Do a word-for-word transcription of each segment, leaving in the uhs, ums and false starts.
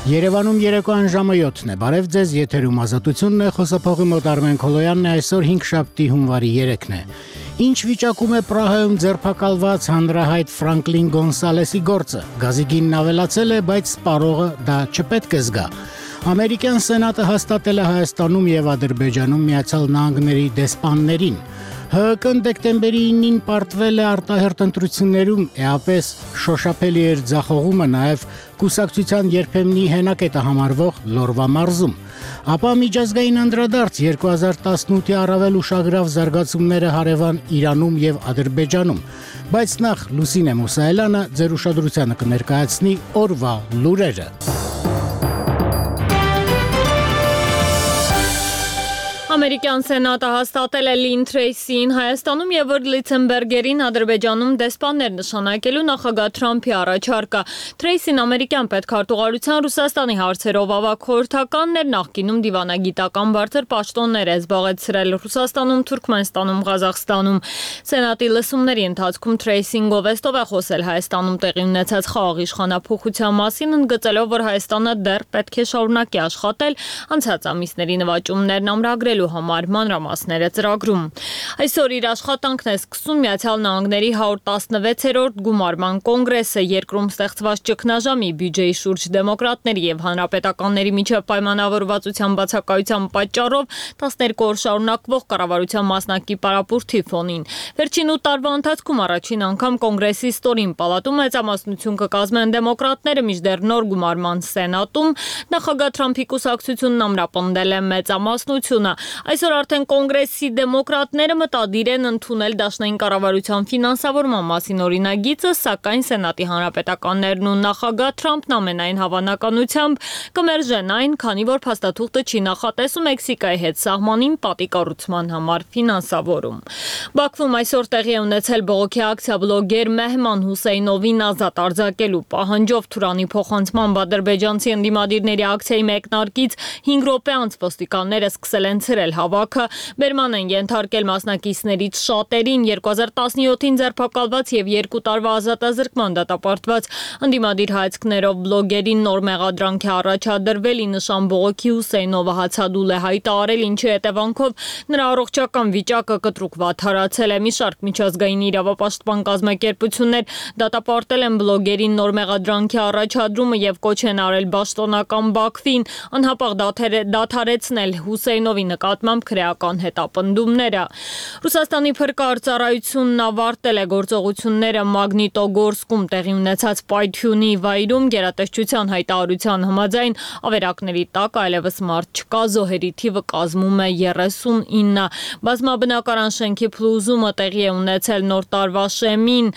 Երևանում երեկոյան ժամը յոթն է, բարև ձեզ, եթերում Ազատությունն է, խոսափողի մոտ Արմեն Քոլոյանն է, այսօր հինգշաբթի հունվարի երեքն է։ Ինչ վիճակում է Պրահայում ձերբակալված հանրահայտ Ֆրանկլին Գոնսալեսի գործը, գազիկինն ավելացել է, բայց սպառողը դա չպետք է զգա։ Ամերիկյան սենատը հաստատել է Հայաստանում և Ադրբեջանում Միացյալ Նահանգների դեսպաններին։ ՀՀԿ-ն դեկտեմբերի ինին պարտվել է արտահերթ ընտրություններում, էապես շոշափելի էր ձախողումը նաև կուսակցության երբեմնի հենակետը համարվող Լոռվա մարզում։ Ապա միջազգային անդրադարձ երկու հազար տասնութի առավել ուշագրավ զարգացումները հարևան Իրանում և Ադրբեջանում։ Բայց նախ Լուսինե Մուսայելյանը ձեր ուշադրությանը կներկայացնի օրվա լուրերը։ Ամերիկյան սենատը հաստատել է Լին Թրեյսիին Հայաստանում և Վրլիցենբերգերին Ադրբեջանում դեսպաններ նշանակելու նախագահ Թրամփի առաջարկը։ Թրեյսին ամերիկյան պետքարտուղարության Ռուսաստանի հարցերով ավագ խորհրդականն էր, նախկինում դիվանագիտական բարձր պաշտոններ է զբաղեցրել Ռուսաստանում, Թուրքմենստանում, Ղազախստանում։ Սենատի լսումների ընթացքում Թրեյսին գովեստով է խոսել Հայաստանում տեղի ունեցած խաղաղ իշխանափոխության մասին, ընդգծելով, որ Հայաստանը դեռ պետք է շարունակի աշխատել անցած ամիսների նվաճումներն ամրագրելու համար մանրամասները ծրագրում։ Այսօր իր աշխատանքն է սկսում Միացյալ Նահանգների հարյուր տասնվեցերորդ գումարման կոնգրեսը, երկրում ստեղծված ճգնաժամի բյուջեի շուրջ դեմոկրատների և հանրապետականների միջև պայմանավորվածության բացակայության պատճառով տասներկու օր շարունակվող կառավարության մասնակի պարապուրդի ֆոնին։ Վերջին ութ տարվա ընթացքում առաջին անգամ կոնգրեսի ստորին պալատում մեծամասնություն կկազմեն դեմոկրատները, մինչդեռ նոր գումարման սենատում նախագահ Թրամփի կուսակցությունն ամրապնդել է մեծամասնությունը։ Այսօր արդեն կոնգրեսի դեմոկրատները մտադիր են ընդունել դաշնային կառավարության ֆինանսավորման մասին օրինագիծը, սակայն սենատի հանրապետականներն ու նախագահ Թրամփն ամենայն հավանականությամբ կմերժեն այն, քանի որ փաստաթուղթը չի նախատեսում Մեքսիկայի հետ սահմանին պատի կառուցման համար ֆինանսավորում։ Բաքվում այսօր տեղի է ունեցել բողոքի ակցիա բլոգեր Մեհման Հուսեյնովին ազատ արձակելու պահանջով Թուրանի փոխանցման ադրբեջանցի ընդդիմադիրների ակցիայի մեկնարկից հինգ րոպե անց ոստիկանները սկսել են ցրել հավաքը, բերման են ենթարկել մասնակիցներից շատերին, երկու հազար տասնյոթին ձերբակալված և երկու տարվա ազատազրկման դատապարտված ընդդիմադիր հայացքներով բլոգերին նոր մեղադրանք է առաջադրվել, ի նշան բողոքի Հուսեյնովը հացադուլ է հայտարարել, ինչի հետևանքով նրա առողջական վիճակը կտրուկ վատթարացել է։ Մի շարք միջազգային իրավապաշտպան կազմակերպություններ դատապարտել են բլոգերին նոր մեղադրանքի առաջադրումը և կոչ են արել պաշտոնական Բաքվին անհապաղ դադարեցնել Հուսեյնովի նկատմամբ քրեական հետապնդումները։ Ռուսաստանի փրկարծառայությունն ավարտել է գործողությունները Մագնիտոգորսկում տեղի ունեցած Պայթյունի վայրում, գերատեսչության հայտարարության համաձայն ավերակների տակ այլևս մարդ չկա, զոհերի թիվը կազմում է երեսունինը։ Բազմաբնակարան շենքի փլուզումը տեղի է ունեցել Նոր տարվա շեմին,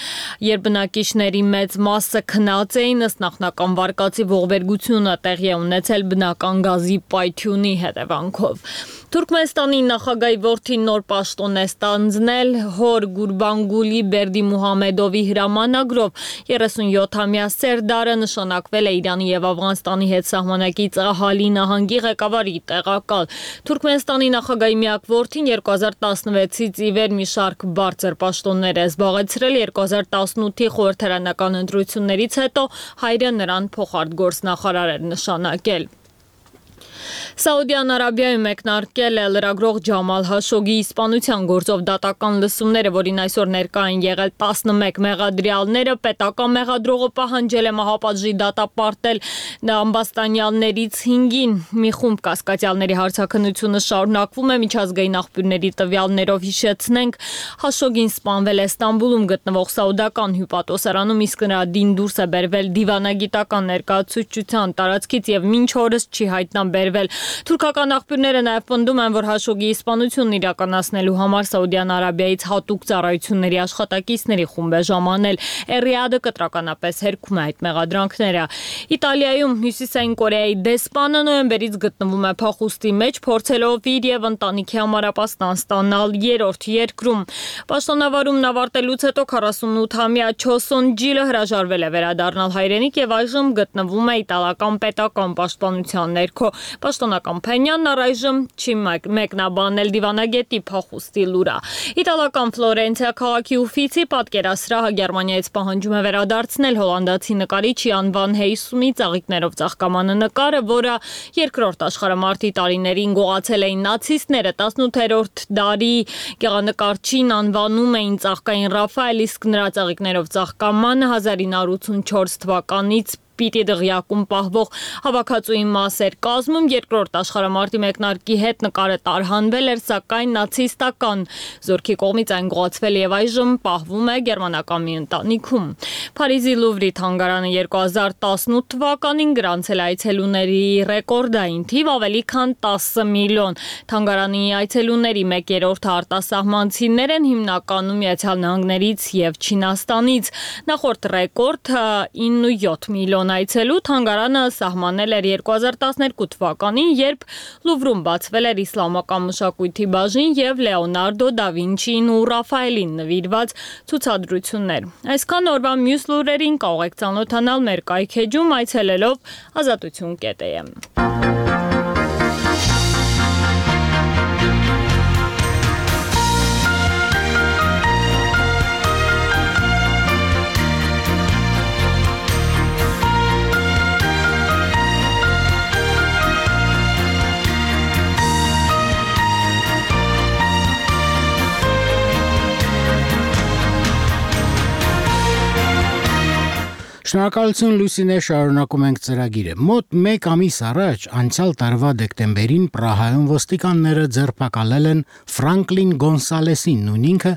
երբ բնակիչների մեծ մասը քնած էին, ըստ նախնական վարկածի ողբերգությունը տեղի է ունեցել բնական գազի պայթյունի հետևանքով։ Թուրքմենստանի նախագահի որդին նոր պաշտոն է ստանձնել հոր Գուրբանգուլի Բերդիմուհամեդովի հրամանագրով։ երեսունյոթամյա Սերդարը նշանակվել է Իրանի և Աֆղանստանի հետ սահմանակից Ահալի նահանգի ղեկավարի տեղակալ։ Թուրքմենստանի նախագահի միակ որդին երկու հազար տասնվեցից ի վեր մի շարք բարձր պաշտոններ է զբաղեցրել, երկու հազար տասնութի խորհրդարանական ընտրություններից հետո հայրը նրան փոխարտգործնախարար էր նշանակել։ Սաուդյան Արաբիայում մեկնարկել է լրագրող Ջամալ Հաշոգիի սպանության գործով դատական լսումները, որին այսօր ներկա են եղել տասնմեկ մեղադրյալները, պետական մեղադրողը պահանջել է մահապատժի դատապարտել ամբաստանյալներից հինգին։ Մի խումբ կասկածյալների հարցաքննությունը շարունակվում է, միջազգային աղբյուրների տվյալներով հիշեցնենք, Հաշոգին սպանվել է Ստամբուլում գտնվող սաուդական հյուպատոսարանում, իսկ նրա դին դուրս է բերվել դիվանագիտական ներկայացուցչության տարածքից և մինչ օրս չի հայտնաբերվել։ Թուրքական աղբյուրները նաև պնդում են, որ Հաշոգիի սպանությունն իրականացնելու համար Սաուդյան Արաբիայից հատուկ ծառայությունների աշխատակիցների խումբ է ժամանել։ Էրիադը կտրականապես հերքում է այդ մեղադրանքները։ Իտալիայում Հյուսիսային Կորեայի դեսպանը նոյեմբերից գտնվում է փախուստի մեջ, փորձելով իր և ընտանիքի համար ապաստան ստանալ երրորդ երկրում։ Պաշտոնավարումն ավարտելուց հետո քառասունութամյա Չոսոն Ջիլը հրաժարվել է վերադառնալ հայրենիք և այժմ գտնվում է իտալական պետական պաշտպանության ներքո։ Պաշտոնական Փենյանն առայժմ չի մեկնաբանել դիվանագետի փախուստի լուրը։ Իտալական Ֆլորենցիա քաղաքի Ուֆիցի պատկերասրահը Գերմանիայից պահանջում է վերադարձնել հոլանդացի նկարիչի Անվան Հեյսումի ծաղիկներով ծաղկամանը նկարը, որը երկրորդ աշխարհամարտի տարիներին գողացել էին նացիստները։ տասնութերորդ դարի գեղանկարչին անվանում էին ծաղկային Ռաֆայել, իսկ նրա ծաղիկներով ծաղկամանը հազար ինը հարյուր ութսունչորս թվականից պիտի դղյակում պահվող հավաքածուի մաս էր կազմում։ Երկրորդ աշխարհամարտի մեկնարկի հետ նկարը տարհանվել էր, սակայն նացիստական զորքի կողմից այն գողացվել եւ այժմ պահվում է գերմանական մի ընտանիքում։ Փարիզի Լուվրի թանգարանը երկու հազար տասնութ թվականին գրանցել այցելուների ռեկորդային թիվ ավելի քան տասը միլիոն։ Թանգարանի այցելուների մեկ երրորդը արտասահմանցիներ են, հիմնականում Միացյալ Նահանգներից եւ Չինաստանից։ Նախորդ ռեկորդը ինը ու յոթ միլիոն այցելու թանգարանը սահմանել էր երկու հազար տասներկու թվականին, երբ Լուվրում բացվել էր իսլամական մշակույթի բաժին եւ Լեոնարդո դա Վինչիին ու Ռաֆայելին նվիրված ցուցադրություններ։ Այսքան օրվա մյուս լուրերին կարող եք ծանոթանալ մեր կայքեջում այցելելով ազատություն կետ է եմ։ Շնորհակալություն Լուսինե, շարունակում ենք ծրագիրը։ Մոտ մեկ ամիս առաջ, անցյալ տարվա դեկտեմբերին Պրահայում ոստիկանները ձերբակալել են Ֆրանկլին Գոնսալեսին, նույն ինքը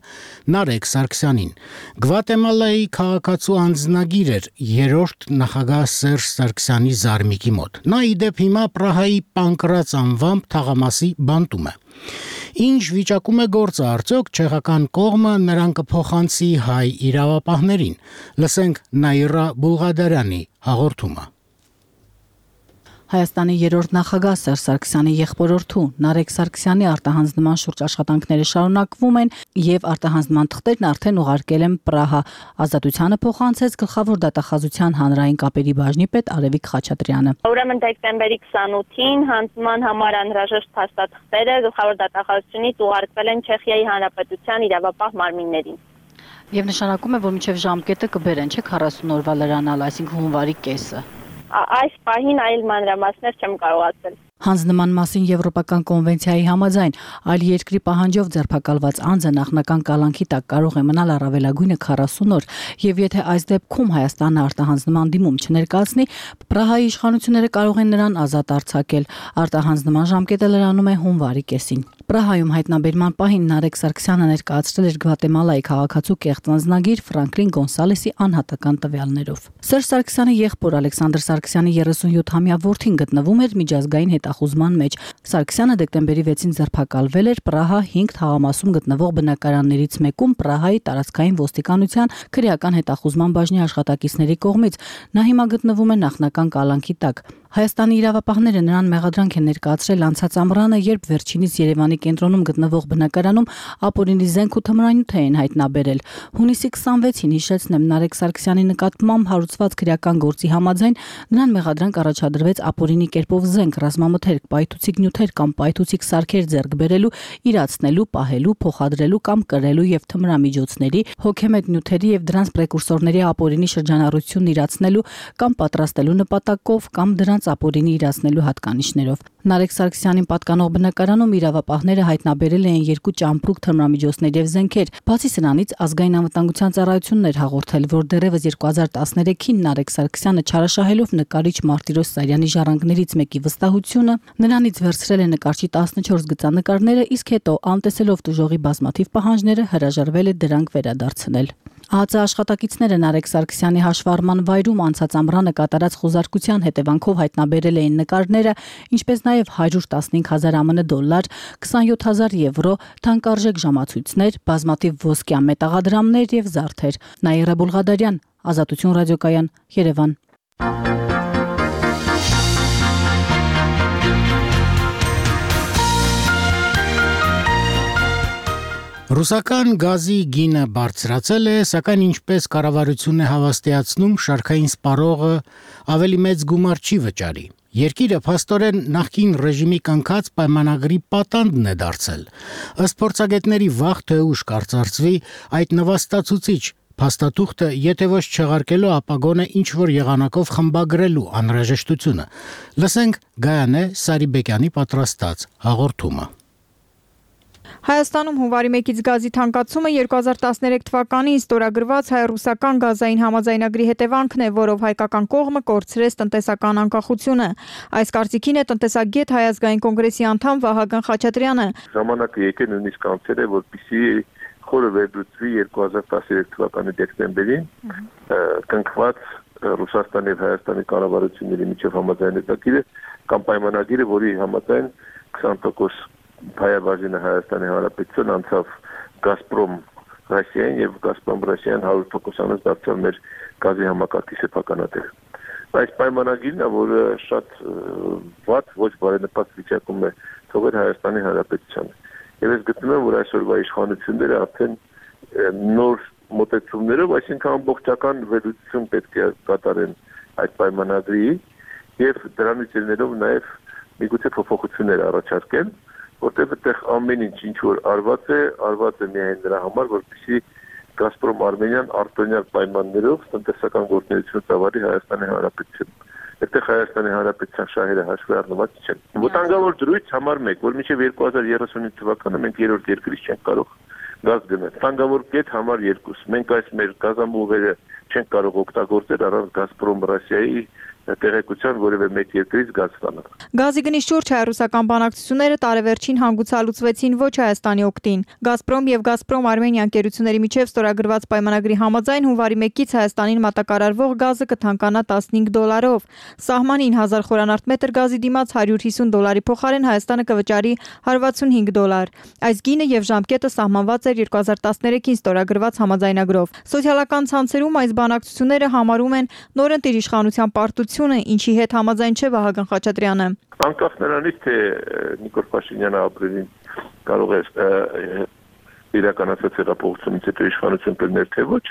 Նարեկ Սարգսյանին։ Գվատեմալայի քաղաքացու անձնագիր էր երրորդ նախագահ Սերժ Սարգսյանի զարմիկի մոտ։ Նա ի դեպ հիմա Պրահայի Պանկրաց անվամբ թաղամասի բանտում է։ Ինչ վիճակում է գործը, արդյոք չեխական կողմը նրան կփոխանցի հայ իրավապահներին։ Լսենք Նաիրա Բուլղադարյանի հաղորդումը։ Հայաստանի երրորդ նախագահ Սերժ Սարգսյանի եղբորորդու Նարեկ Սարգսյանի արտահանձնման շուրջ աշխատանքները շարունակվում են եւ արտահանձնման թղթերն արդեն ուղարկել են Պրահա։ Ազատությանը փոխանցեց գլխավոր դատախազության հանրային կապերի բաժնի պետ Արևիկ Խաչատրյանը։ Ուրեմն դեկտեմբերի քսանութին հանձնման համար անհրաժեշտ փաստաթղթերը գլխավոր դատախազությունից ուղարկվել են Չեխիայի Հանրապետության իրավապահ մարմիններին։ Եվ նշանակում է, որ մինչև ժամկետը կբերեն, չէ՞ քառասուն օրվա լրանալ, այսինքն հունվարի կեսը։ Այս պահին այլ մանրամասներ չեմ կարող ասել։ Հանձնման մասին Եվրոպական կոնվենցիայի համաձայն այլ երկրի պահանջով ձերբակալված անձը նախնական կալանքի տակ կարող է մնալ առավելագույնը քառասուն օր, եւ եթե այս դեպքում Հայաստանը արտահանձնման դիմում չներկայացնի, Պրահայի իշխանությունները կարող են նրան ազատ արձակել։ Արտահանձնման ժամկետը լրանում է հունվարի կեսին։ Պրահայում հայտնաբերման պահին Նարեկ Սարգսյանը ներկայացրել էր Գվատեմալայի քաղաքացու կեղծ անձնագիր Ֆրանկլին Գոնսալեսի անհատական տվյալներով։ Սերժ Սարգսյանի եղբոր Ալեքսանդր Սարգսյանի երեսունյոթամյա որդին գտնվում էր միջազգային հետախուզման մեջ։ Սարգսյանը դեկտեմբերի վեցին ձերբակալվել էր Պրահա հինգ թաղամասում գտնվող բնակարաններից մեկում Պրահայի տարածքային ոստիկանության քրեական հետախուզման բաժնի աշխատակիցների կողմից։ Նա հիմա գտնվում է նախնական կալանքի տակ։ Հայաստանի իրավապահները նրան մեղադրանք են ներկայացրել անցած ամռանը, երբ վերջինիս Երևանի կենտրոնում գտնվող բնակարանում ապօրինի զենք ու թմրանյութ էին հայտնաբերել։ Հունիսի քսանվեցին հիշեցնեմ Նարեկ Սարգսյանի նկատմամբ հարուցված քրեական գործի համաձայն նրան մեղադրանք առաջադրվեց ապօրինի կերպով զենք, ռազմամթերք, պայթուցիկ նյութեր կամ պայթուցիկ սարքեր ձեռք բերելու, իրացնելու, պահելու, փոխադրելու կամ կրելու եւ թմրամիջոցների, հոգեմետ նյութերի եւ դրանց պրեկուրսորների ապօրինի շրջանառությունն իրացնելու կամ պատրաստելու նպատակով կամ դրանց ապօրինի իրացնելու հատկանիշներով։ Նարեկ Սարգսյանին պատկանող բնակարանում իրավապահները հայտնաբերել էին երկու ճամպրուկ թմրամիջոցներ եւ զենքեր։ Բացի սրանից ազգային անվտանգության ծառայությունն էր հաղորդել, որ դեռևս երկու հազար տասներեքին Նարեկ Սարգսյանը չարաշահելով նկարիչ Մարտիրոս Սարյանի ժառանգներից մեկի վստահությունը, նրանից վերցրել է նկարչի տասնչորս գծանկարները, իսկ հետո անտեսելով տուժողի բազմաթիվ պահանջները հրաժարվել է դրանք վերադարձնել։ ԱԱԾ աշխատակիցները Նարեկ Սարգսյանի հաշվառման վայրում անցած ամռանը կատարած խոզարկության հետևանքով հայտնաբերել էին նկարները, ինչպես նաև հարյուր տասնհինգ հազար ԱՄՆ դոլար, քսանյոթ հազար եվրո, թանկարժեք ժամացույցներ, բազմաթիվ ոսկյա մետաղադրամներ եւ զարդեր։ Նաիրա Բուլղադարյան, Ազատություն ռադիոկայան, Երևան։ Ռուսական գազի գինը բարձրացել է, սակայն ինչպես կառավարությունն է հավաստիացնում, շարքային սպառողը ավելի մեծ գումար չի վճարի։ Երկիրը փաստորեն նախկին ռեժիմի կնքած պայմանագրի պատանդն է դարձել։ Ըստ փորձագետների վաղ թե ուշ կարծարծվի այդ նվաստացուցիչ փաստաթուղթը, եթե ոչ չեղարկելու, ապա գոնե ինչ-որ եղանակով խմբագրելու անհրաժեշտությունը։ Լսենք Գայանե Սարիբեկյանի պատրաստած հաղորդումը։ Հայաստանում հունվարի մեկից գազի թանկացումը երկու հազար տասներեք թվականին ստորագրված հայ-ռուսական գազային համաձայնագրի հետևանքն է, որով հայկական կողմը կորցրեց տնտեսական անկախությունը։ Այս կարծիքին է տնտեսագետ Հայ ազգային կոնգրեսի անդամ Վահագն Խաչատրյանը։ Ժամանակը եկել նույնիսկ անցել է, որպեսզի խորը վերլուծվի երկու հազար տասներեք թվականի դեկտեմբերին կնքված Ռուսաստանի եւ Հայաստանի կառավարությունների միջև համաձայնագիրը կամ պայմանագիրը, որի համաձայն քսան տոկոս հայաբաժինը Հայաստանի Հանրապետություն անցավ Գազպրոմ Ռուսիային եւ Գազպրոմ Ռուսիան հարյուր տոկոսանոց դարձավ մեր գազի համակարգի սեփականատեր։ Այս պայմանագիրն է, որը շատ վատ, ոչ բարենպաստ վիճակում է թողել Հայաստանի Հանրապետությանը։ Եվ ես գտնում եմ, որ այսօրվա իշխանությունները արդեն նոր մոտեցումներով, այսինքն ամբողջական վերլուծություն պետք է կատարեն այդ պայմանագրի եւ դրանից ելնելով նաեւ միգուցե փոփոխություններ առաջարկեն, որտեղ այդտեղ ամեն ինչ ինչ որ արված է, արված է միայն նրա համար, որպեսզի Գազպրոմ Արմենիան արտոնյալ պայմաններով տնտեսական գործունեություն ծավալի Հայաստանի Հանրապետություն։ Այդտեղ Հայաստանի Հանրապետության շահերը հաշվի առնված չեն։ Վտանգավոր դրույթ համար մեկ, որ մինչև երկու հազար երեսունինը թվականը մենք երրորդ երկրից չենք կարող գազ գնել։ Վտանգավոր կետ համար երկու։ Մենք այս մեր գազամուղերը չենք կարող օգտագործել առանց Գազպրոմ Ռուսիայի տեղեկության որևէ մեկ երկրից գազ ստանալ։ Գազի գնի շուրջ հայ-ռուսական բանակցությունները տարեվերջին հանգուցալուծվեցին ոչ Հայաստանի օգտին։ Գազպրոմ եւ Գազպրոմ Արմենիա ընկերությունների միջև ստորագրված պայմանագրի համաձայն հունվարի մեկից Հայաստանին մատակարարվող գազը կթանկանա տասնհինգ դոլարով։ Սահմանին հազար խորանարդ մետր գազի դիմաց հարյուր հիսուն դոլարի փոխարեն Հայաստանը կվճարի հարյուր վաթսունհինգ դոլար։ Այս գինը եւ ժամկետը սահմանված էր երկու հազար տասներեքին ստորագրված համաձայնագրով։ Սոցիալական ցանցերում այս բանակցությունները համարում են նորընտիր իշխանության պարտություն, ինչի հետ համաձայն չէ Վահագն Խաչատրյանը։ Անկախ նրանից, թե Նիկոլ Փաշինյանը ապրիլին կարող է իրականացած հեղափոխությունից հետո իշխանություն կլներ թե ոչ,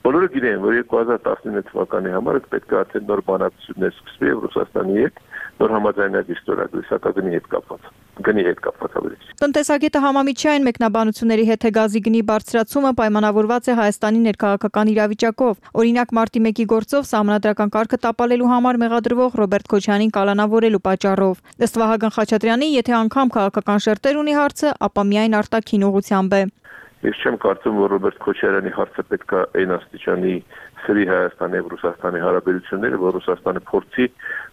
բոլորը գիտեն, որ երկու հազար տասնինը թվականի համար պետք է արդեն նոր բանակցություններ սկսվի եւ Ռուսաստանի հետ նոր համաձայնագիր ստորագրի սակագնի հետ կապված։ Գնի հետ կապված ավելի։ Տնտեսագետը համամիջի այն մեկնաբանությունների հետ է գազի գնի բարձրացումը պայմանավորված է Հայաստանի ներքաղաքական իրավիճակով։ Օրինակ մարտի մեկի գործով սահմանադրական կարգը տապալելու համար մեղադրվող Ռոբերտ Քոչարյանին կալանավորելու պատճառով։ Ըստ Վահագն Խաչատրյանի, եթե անգամ քաղաքական շերտեր ունի հարցը, ապա միայն արտաքին ուղղությամբ է։ Ես չեմ կարծում, որ Ռոբերտ Քոչարյանի հարցը պետք է այն աստիճանի սրի Հայաստանի եւ Ռուսաստանի հարաբերությունները, որ Ռուսաստանը փորձի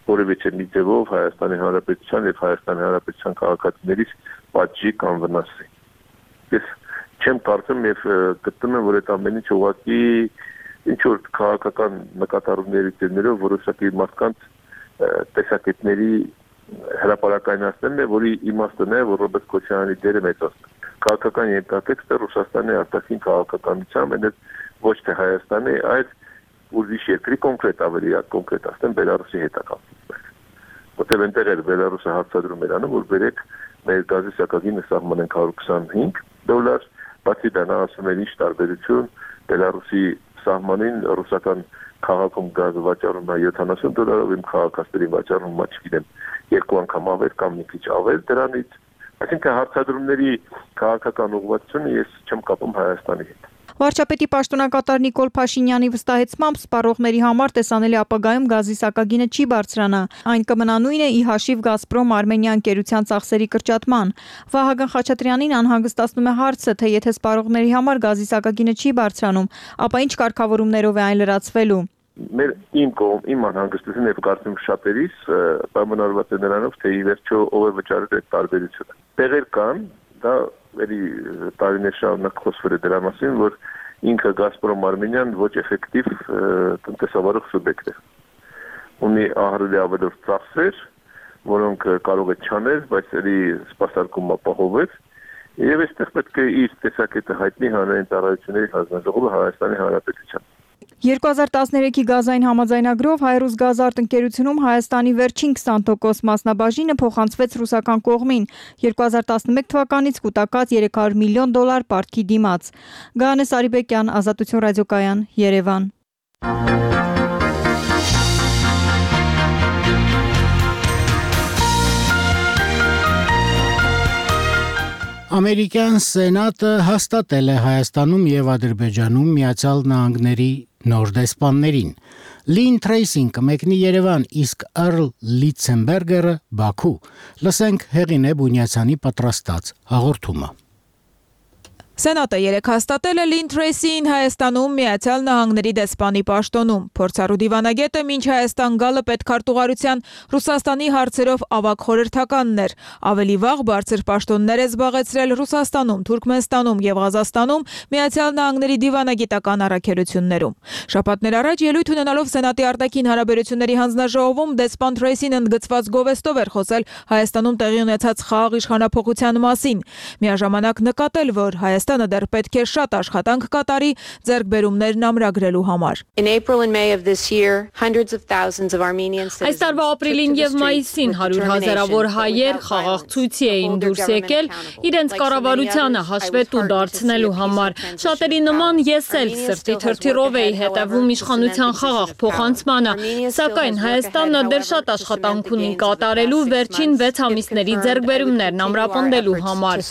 որևէ մի ձևով Հայաստանի Հանրապետության եւ Հայաստանի Հանրապետության քաղաքացիներից պատժի կամ վնասի։ Ես չեմ կարծում եւ գտնում եմ, որ այդ ամեն ինչ ուղղակի ինչ որ քաղաքական նկատառումների դերներով որոշակի մարդկանց տեսակետների հրապարակայնացնելն է, որի իմաստն է, որ Ռոբերտ Քոչարյանի դերը մեծացնում։ Քաղաքական ենթատեքստը Ռուսաստանի արտաքին քաղաքականությամբ են ոչ թե Հայաստանի, այլ ուրիշ երկրի կոնկրետ ավելի կոնկրետ ասեմ Բելարուսի հետ կապված։ Որտեղ այնտեղ էր Բելարուսը հարձադրում էր անում, որ բերեք մեր գազի սակագինը սահմանենք հարյուր քսանհինգ դոլար, բացի դա նա ասում էր ինչ տարբերություն Բելարուսի սահմանին ռուսական քաղաքում գազը վաճառում է յոթանասուն դոլարով, իմ քաղաքացիներին վաճառում է, չգիտեմ, երկու անգամ ավել կամ մի քիչ ավել դրանից։ Այսինքն հարցադրումների քաղաքական ուղղվածությունը ես չեմ կապում Հայաստանի հետ։ Վարչապետի պաշտոնակատար Նիկոլ Փաշինյանի վստահեցմամբ սպառողների համար տեսանելի ապագայում գազի սակագինը չի բարձրանա։ Այն կմնա նույնը ի հաշիվ Գազպրոմ Արմենիա ընկերության ծախսերի կրճատման։ Վահագն Խաչատրյանին անհանգստացնում է հարցը, թե եթե սպառողների համար գազի սակագինը չի բարձրանում, ապա ինչ կարգավորումներով է այն լրացվելու։ Մեր իմ կողմ իմ անհանգստությունը եւ կարծում շատերիս պայմանավորված է նրանով, թե ի վերջո ով է վճարել այդ տարբերությունը։ Տեղեր կան, դա ելի տարիներ շարունակ խոսվել է դրա մասին, որ ինքը Գազպրոմ Արմենիան ոչ էֆեկտիվ տնտեսավարող սուբյեկտ է։ Ունի ահռելի ավելորդ ծախսեր, որոնք կարող է չանել, բայց ելի սպասարկում ապահովել, եւ այստեղ պետք է իր տեսակետը հայտնի հանրային ծառայությունների հանձնաժողովը Հայաստանի Հանրապետության։ երկու հազար տասներեքի գազային համաձայնագրով հայ-ռուս գազարդ ընկերությունում Հայաստանի վերջին քսան տոկոս մասնաբաժինը փոխանցվեց ռուսական կողմին երկու հազար տասնմեկ թվականից կուտակած երեք հարյուր միլիոն դոլար պարտքի դիմաց։ Գայանե Սարիբեկյան, Ազատություն ռադիոկայան, Երևան։ Ամերիկյան Սենատը հաստատել է Հայաստանում եւ Ադրբեջանում Միացյալ Նահանգների նոր դեսպաններին։ Լին Թրեյսին կմեկնի Երևան, իսկ Արլ Լիցենբերգերը Բաքու։ Լսենք Հեղինե Բունյացյանի պատրաստած հաղորդումը։ Սենատը երեկ հաստատել է Լին Թրեյսին Հայաստանում Միացյալ Նահանգների դեսպանի պաշտոնում։ Փորձառու դիվանագետը մինչ Հայաստան գալը պետքարտուղարության Ռուսաստանի հարցերով ավագ խորհրդականն էր։ Ավելի վաղ բարձր պաշտոններ է զբաղեցրել Ռուսաստանում, Թուրքմենստանում եւ Ղազախստանում Միացյալ Նահանգների դիվանագիտական առաքելություններում։ Շաբաթներ առաջ ելույթ ունենալով Սենատի արտաքին հարաբերությունների հանձնաժողովում դեսպան Թրեյսին ընդգծված գովեստով էր խոսել Հայաստանում տեղի ունեցած խաղաղ իշխանափոխության մասին։ Միաժամանակ նկատել, որ Հայաստանը դեռ պետք է շատ աշխատանք կատարի ձեռքբերումներն ամրագրելու համար։ Այս տարվա ապրիլին եւ մայիսին հարյուր հազարավոր հայեր խաղաղ ցույցի էին դուրս եկել իրենց կառավարությանը հաշվետու դարձնելու համար։ Շատերի նման ես էլ սրտի թրթիրով էի հետևում իշխանության խաղաղ փոխանցմանը, սակայն Հայաստանը դեռ շատ աշխատանք ունի կատարելու վերջին վեց ամիսների ձեռքբերումներն ամրապնդելու համար։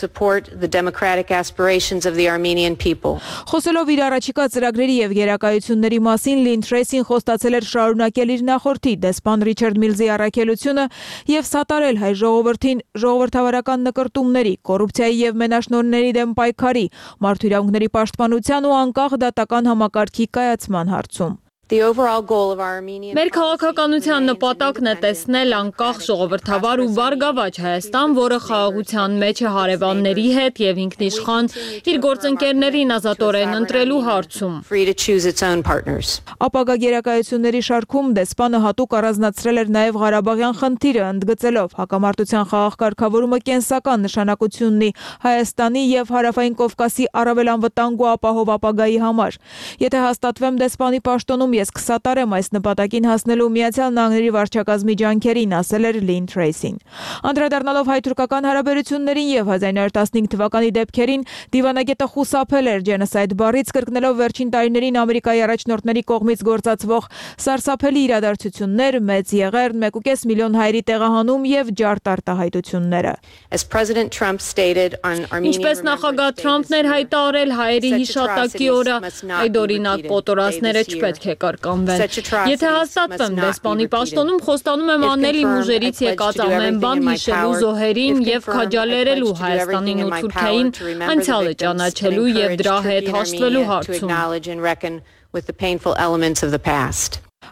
Of the Armenian people. Խոսելով իր առաջիկա ծրագրերի եւ գերակայությունների մասին Լին Թրեյսին խոստացել էր շարունակել իր նախորդի դեսպան Ռիչարդ Միլզի առաքելությունը եւ սատարել հայ ժողովրդին ժողովրդավարական նկրտումների, կոռուպցիայի եւ մենաշնորհների դեմ պայքարի, մարդու իրավունքների պաշտպանության ու անկախ դատական համակարգի կայացման հարցում։ Մեր քաղաքականության նպատակն է տեսնել անկախ ժողովրդավար ու բարգավաճ Հայաստան, որը խաղաղության մեջ է հարևանների հետ եւ ինքնիշխան իր գործընկերներին ազատորեն ընտրելու հարցում։ Ապագա գերակայությունների շարքում դեսպանը հատուկ առանձնացրել էր նաեւ Ղարաբաղյան խնդիրը, ընդգծելով հակամարտության խաղաղ կարգավորումը կենսական նշանակություն ունի Հայաստանի եւ Հարավային Կովկասի առավել անվտանգ ու ապահով ապագայի համար։ Եթե հաստատվեմ դեսպանի պաշտոնում ես կսատարեմ այս նպատակին հասնելու Միացյալ Նահանգների վարչակազմի ջանքերին, ասել էր Լին Թրեյսին։ Անդրադառնալով հայ-թուրքական հարաբերություններին եւ հազար ինը հարյուր տասնհինգ թվականի դեպքերին, դիվանագետը խուսափել էր ջենոսայդ բառից, կրկնելով վերջին տարիներին Ամերիկայի առաջնորդների կողմից գործածվող սարսափելի իրադարձություններ, մեծ եղերն, մեկ ու կես միլիոն հայերի տեղահանում եւ ջարդ արտահայտությունները։ Ինչպես նախագահ Թրամփն էր հայտարարել հայերի հիշատակի օրը, այդօրինակ կոտորածները չպետք է կրկնվեն։ Եթե հաստատվեմ դեսպանի պաշտոնում, խոստանում եմ անել իմ ուժերից եկած ամեն բան հիշելու զոհերին եւ քաջալերելու Հայաստանին ու Թուրքիային անցյալը ճանաչելու եւ դրա հետ հաշտվելու հարցում։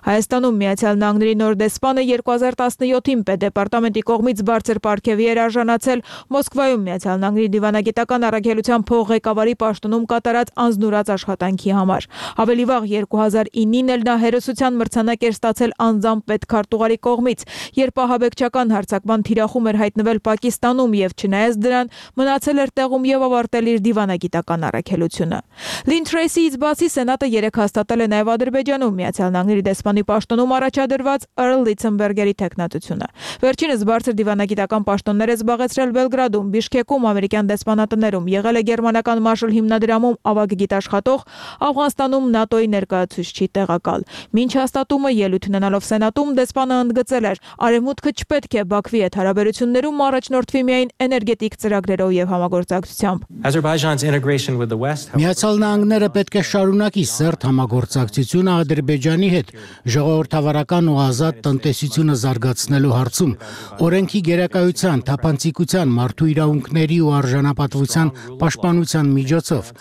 Հայաստանում Միացյալ Նահանգների նոր դեսպանը երկու հազար տասնյոթին պետդեպարտամենտի կողմից բարձր պարգևի էր արժանացել Մոսկվայում Միացյալ Նահանգների դիվանագիտական առաքելության փոխղեկավարի պաշտոնում կատարած անձնուրաց աշխատանքի համար։ Ավելի վաղ երկու հազար ինին էլ նա հերոսության մրցանակ էր ստացել անձամբ պետքարտուղարի կողմից, երբ ահաբեկչական հարձակման թիրախում էր հայտնվել Պակիստանում եւ չնայած դրան մնացել էր տեղում եւ ավարտել իր դիվանագիտական առաքելությունը։ Լին Թրեյսիից բացի Սենատը երեկ հաստատել է նաեւ Ադրբեջանում Միացյալ Նահանգների դեսպանի պաշտոնում առաջադրված Արլ Լիցենբերգերի տեխնատությունը։ Վերջինս բարձր դիվանագիտական պաշտոններ է զբաղեցրել Բելգրադում, Բիշկեկում, ամերիկյան դեսպանատներում, եղել է գերմանական Մարշալ հիմնադրամում ավագ գիտաշխատող, Աֆղանստանում ՆԱՏՕ-ի ներկայացուցչի տեղակալ։ Մինչ հաստատումը ելույթ ունենալով Սենատում դեսպանը ընդգծել էր, արևմուտքը չպետք է Բաքվի հետ հարաբերություններում առաջնորդվի միայն էներգետիկ ծրագրերով եւ համագործակցությամբ։ Միացյալ Նահանգները պետք է շարունակի սերտ համագործակցությունը Ադրբեջանի հետ ժողովրդավարական ու ազատ տնտեսությունը զարգացնելու հարցում, օրենքի գերակայության, թափանցիկության, մարդու իրավունքների ու արժանապատվության պաշտպանության միջոցով։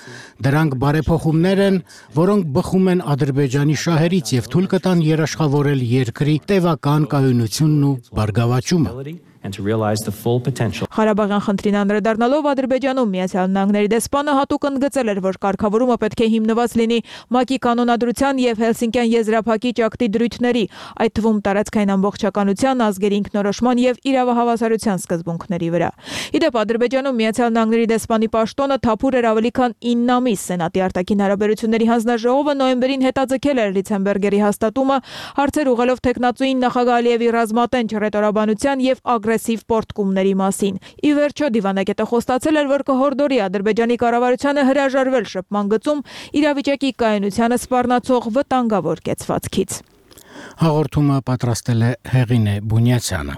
Դրանք բարեփոխումներ են, որոնք բխում են Ադրբեջանի շահերից եւ թույլ կտան երաշխավորել երկրի տևական կայունությունն ու բարգավաճումը։ and to realize the full potential. Ղարաբաղյան խնդրին անդրադառնալով Ադրբեջանում Միացյալ Նահանգների դեսպանը հատուկ ընդգծել էր, որ կարգավորումը պետք է հիմնված լինի ՄԱԿ-ի կանոնադրության եւ Հելսինկյան եզրափակիչ ակտի դրույթների, այդ թվում տարածքային ամբողջականության, ազգերի ինքնորոշման եւ իրավահավասարության սկզբունքների վրա։ Իդեպ Ադրբեջանում Միացյալ Նահանգների դեսպանի պաշտոնը թափուր էր ավելի քան ինը ամիս։ Սենատի արտաքին հարաբերությունների հանձնաժողովը նոյեմբերին հետաձգել էր Լիցենբերգերի հաստատումը, հարցեր ուղղելով տեխնացուին նախագահ Ալիևի ռազմատենչ ռետորաբանության եւ ագրեսիվ պորտկումների մասին։ Ի վերջո դիվանագետը խոստացել էր, որ կհորդորի Ադրբեջանի կառավարությանը հրաժարվել շփման գծում իրավիճակի կայունությանը սպառնացող վտանգավոր կեցվածքից։ Հաղորդումը պատրաստել է Հեղինե Բունյացյանը։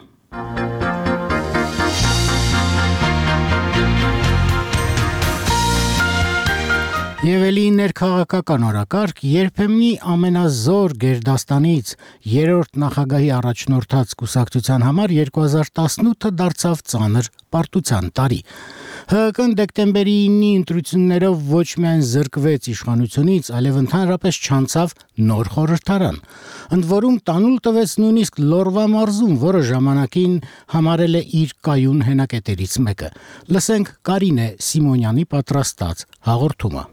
Եվ էլի ներքաղաքական օրակարգ երբեմնի ամենազոր գերդաստանից երրորդ նախագահի առաջնորդած կուսակցության համար երկու հազար տասնութը դարձավ ծանր պարտության տարի։ Հ Կ-ն դեկտեմբերի ինի ընտրություններով ոչ միայն զրկվեց իշխանությունից, այլև ընդհանրապես չանցավ նոր խորհրդարան։ Ընդ որում տանուլ տվեց նույնիսկ Լոռվա մարզում, որը ժամանակին համարել է իր կայուն հենակետերից մեկը։ Լսենք Կարինե Սիմոնյանի պատրաստած հաղորդումը։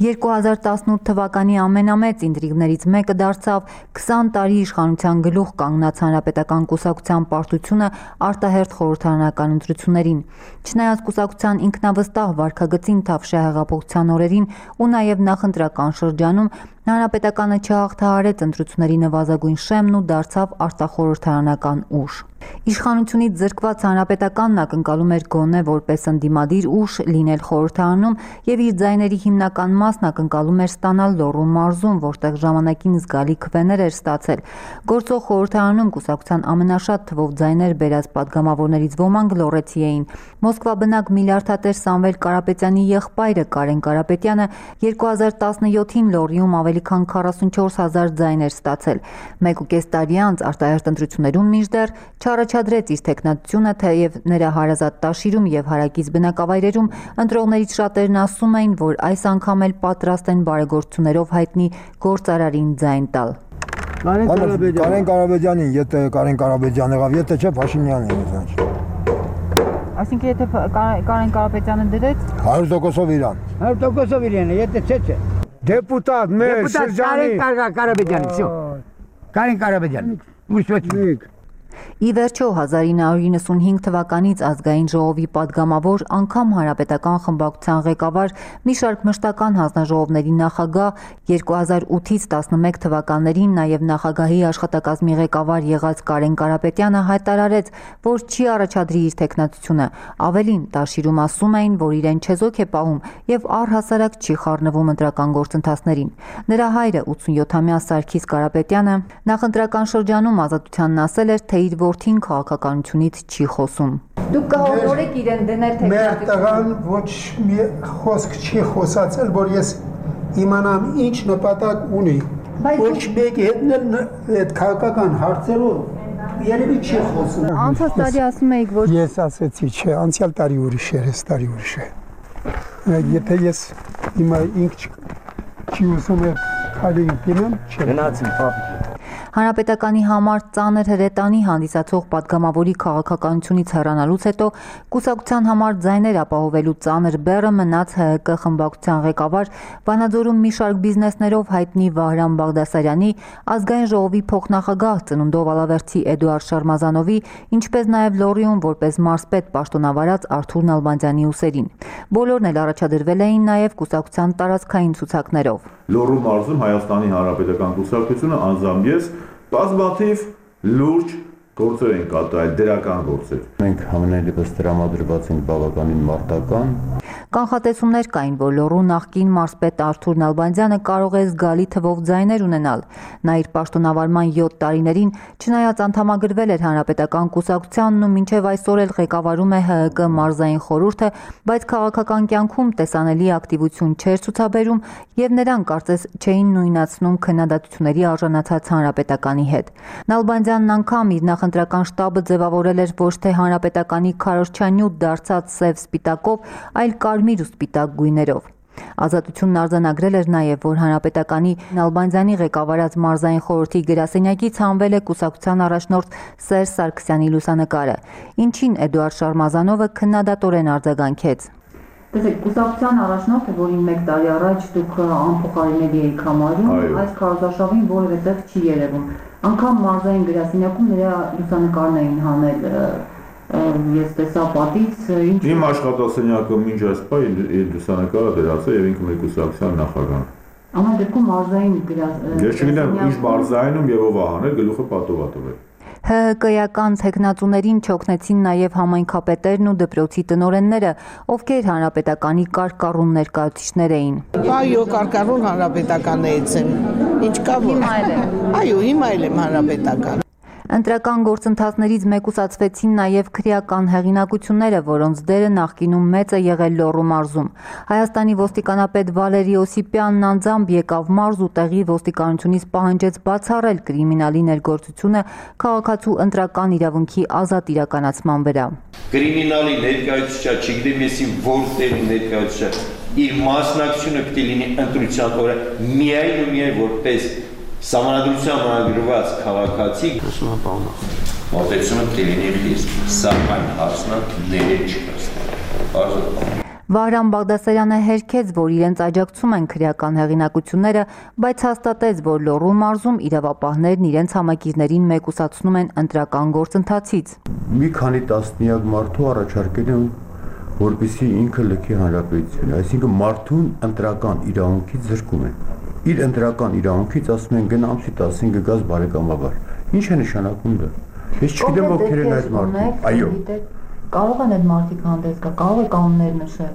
երկու հազար տասնութ թվականի ամենամեծ ինտրիգներից մեկը դարձավ քսան տարի իշխանության գլուխ կանգնած Հանրապետական կուսակցության պարտությունը արտահերթ խորհրդարանական ընտրություններին։ Չնայած կուսակցության ինքնավստահ վարքագծին Թավշյա հեղափոխության օրերին ու նաև նախընտրական շրջանում Հանրապետականը չհաղթահարեց ընտրությունների նվազագույն շեմն ու դարձավ արտախորհրդարանական ուժ։ Իշխանությունից զրկված Հանրապետականն ակնկալում էր գոնե որպես ընդդիմադիր ուժ լինել խորհրդարանում եւ իր ձայների հիմնական մասն ակնկալում էր ստանալ Լոռու մարզում, որտեղ ժամանակին զգալի քվեներ էր ստացել։ Գործող խորհրդարանում կուսակցության ամենաշատ թվով ձայներ բերած падգամավորներից ոմանք լոռեցի էին։ Մոսկվա բնակ միլիարդատեր Սամվել Կարապետյանի եղբայրը Կարեն Կարապետյանը երկու հազար տասնյոթին Լոռիում ավելի քան քառասունչորս հազար ձայն էր ստացել։ Մեկ ու կես տարի անց արտահերթ ընտրություններում մինչդեռ չառաջադրեց իր տեխնատությունը, թեև նրա հարազատ Տաշիրում եւ հարակից բնակավայրերում ընտրողներից շատերն ասում էին, որ այս անգամ էլ պատրաստ են բարեգործություններով հայտնի գործարարին ձայն տալ։ Կարեն Կարապետյանին, եթե Կարեն Կարապետյան եղավ, եթե չէ Փաշինյանն է։ Այսինքն եթե Կարեն Կարապետյանը դրեց հարյուր տոկոսով իրան։ հարյուր տոկոսով իրան, եթե չէ չէ։ Դեպուտատ մեր շրջանի Կարեն Կարապետյան, всё։ Կարեն Կարապետյան։ Մուշտոց։ Ի վերջո հազար ինը հարյուր իննսունհինգ թվականից ազգային ժողովի падգամավոր, անգամ հանրապետական խմբակցության ղեկավար, մի շարք մշտական հանձնաժողովների նախագահ, երկու հազար ութից տասնմեկ թվականներին նաև նախագահի աշխատակազմի ղեկավար եղած Կարեն Կարապետյանը հայտարարեց, որ չի առաջադրի իր տեխնատությունը։ Ավելին, Տաշիրում ասում էին, որ իրեն չեզոք է պահում եւ առհասարակ չի խառնվում ընտրական գործընթացներին։ Նրա հայրը ութսունյոթամյա Սարգիս Կարապետյանը նախընտրական շրջանում Ազատությանն ասել էր, թե իր որդին քաղաքականությունից չի խոսում։ Դուք կհորդորեք իրեն դնել թե մեր տղան ոչ մի խոսք չի խոսացել, որ ես իմանամ ինչ նպատակ ունի։ Ոչ մեկի հետ այդ քաղաքական հարցերով երևի չի խոսում։ Անցած տարի ասում էիք, որ ես ասեցի, չէ, անցյալ տարի ուրիշ էր, այս տարի ուրիշ է։ Եթե ես հիմա ինք չի ուզում եմ քալի դինեմ, չէ։ Գնացին, պապ։ Հանրապետականի համար ծանր հրետանի հանդիսացող падգամավորի քաղաքականությունից հեռանալուց հետո կուսակցության համար ձայներ ապահովելու ծանր բեռը մնաց Հ Կ խմբակցության ղեկավար, Վանաձորում մի շարք բիզնեսներով հայտնի Վահրամ Բաղդասարյանի, ազգային ժողովի փոխնախագահ ծնունդով Ալավերդի Էդուարդ Շարմազանովի, ինչպես նաև Լոռիում որպես մարզպետ պաշտոնավարած Արթուր Նալբանդյանի ուսերին։ Բոլորն էլ առաջադրվել էին նաև կուսակցության տարածքային ցուցակներով։ Լոռու մարզում Հայաստանի Հանրապետական կուսակցությունը անձամբ ես բազմաթիվ լուրջ գործեր են կատարել, դրական գործեր։ Մենք համենայնիվս տրամադրված ենք բավականին մարտական։ Կանխատեսումներ կային, որ Լոռու նախկին մարզպետ Արթուր Նալբանդյանը կարող է զգալի թվով ձայներ ունենալ։ Նա իր պաշտոնավարման յոթ տարիներին, չնայած անդամագրվել էր Հանրապետական կուսակցությանն ու մինչև այսօր էլ ղեկավարում է Հ Կ մարզային խորհուրդը, բայց քաղաքական կյանքում տեսանելի ակտիվություն չէր ցուցաբերում եւ նրան կարծես չէին նույնացնում քննադատությունների արժանացած Հանրապետականի հետ։ Նալբանդյանն անգամ իր նախընտրական շտաբը ձևավորել էր ոչ թե Հանրապետականի քարոզչանյութ դարձած սև սպիտակով, այլ կարմիր ու սպիտակ գույներով։ Ազատությունն արձանագրել էր նաև, որ Հանրապետականի Նալբանդյանի ղեկավարած մարզային խորհրդի գրասենյակից հանվել է կուսակցության առաջնորդ Սերժ Սարգսյանի լուսանկարը, ինչին Էդուարդ Շարմազանովը քննադատորեն արձագանքեց։ Տեսեք, կուսակցության առաջնորդը, որին մեկ տարի առաջ դուք անփոխարինելի եք համարում, այս քարոզարշավին որևէ տեղ չի երևում։ Անգամ մարզային գրասենյակում նրա լուսանկարն էին հանել, ես տեսա պատից, ինչ։ Իմ աշխատասենյակը մինչ այս պահ լուսանկարը դրած է եւ ինքը մեր կուսակցության նախագահն։ Ամեն դեպքում մարզային գրասենյակում։ Ես չգիտեմ ինչ մարզայինում եւ ով է հանել, գլուխը պատով է տվել։ Հ Կ-ական տեխնատուներին չօգնեցին նաև համայնքապետերն ու դպրոցի տնօրենները, ովքեր Հանրապետականի կարկառուն ներկայացուցիչներ էին։ Այո, կարկառուն Հանրապետական էից եմ։ Ինչ կա որ։ Հիմա էլ եմ։ Այո, հիմա էլ եմ Հանրապետական։ Ընտրական գործընթացներից մեկուսացվեցին նաև քրեական հեղինակությունները, որոնց դերը նախկինում մեծ է եղել Լոռու մարզում։ Հայաստանի ոստիկանապետ Վալերի Օսիպյանն անձամբ եկավ մարզ ու տեղի ոստիկանությունից պահանջեց բացառել կրիմինալի ներգործությունը քաղաքացու ընտրական իրավունքի ազատ իրականացման վրա։ Կրիմինալի ներկայացուցիչ, չգիտեմ եսի որտեղ ներկայացուցիչ, իր մասնակցությունը պետք է լինի ընտրության օրը միայն ու միայն որպես Սահմանադրության մանրագրված քաղաքացի մոտեցումը պետք է լինի խիստ, սակայն հարցնա ներել չկասնել։ Վահրամ Բաղդասարյանը հերքեց, որ իրենց աջակցում են քրեական հեղինակությունները, բայց հաստատեց, որ Լոռու մարզում իրավապահներն իրենց համակիրներին մեկուսացնում են ընտրական գործընթացից։ Մի քանի տասնյակ մարդու առաջարկել են, որպեսզի ինքը լքի հանրապետությունը, այսինքն մարդուն ընտրական իրավունքից զրկում են։ Իր ընտրական իրավունքից ասում են գնա ամսի տասին գգազ բարեկամաբար։ Ինչ է նշանակում դա։ Ես չգիտեմ ովքեր են այդ մարդիկ։ Այո։ Կարող են այդ մարդիկ հանդես գա, կարող է կանոններ նշել։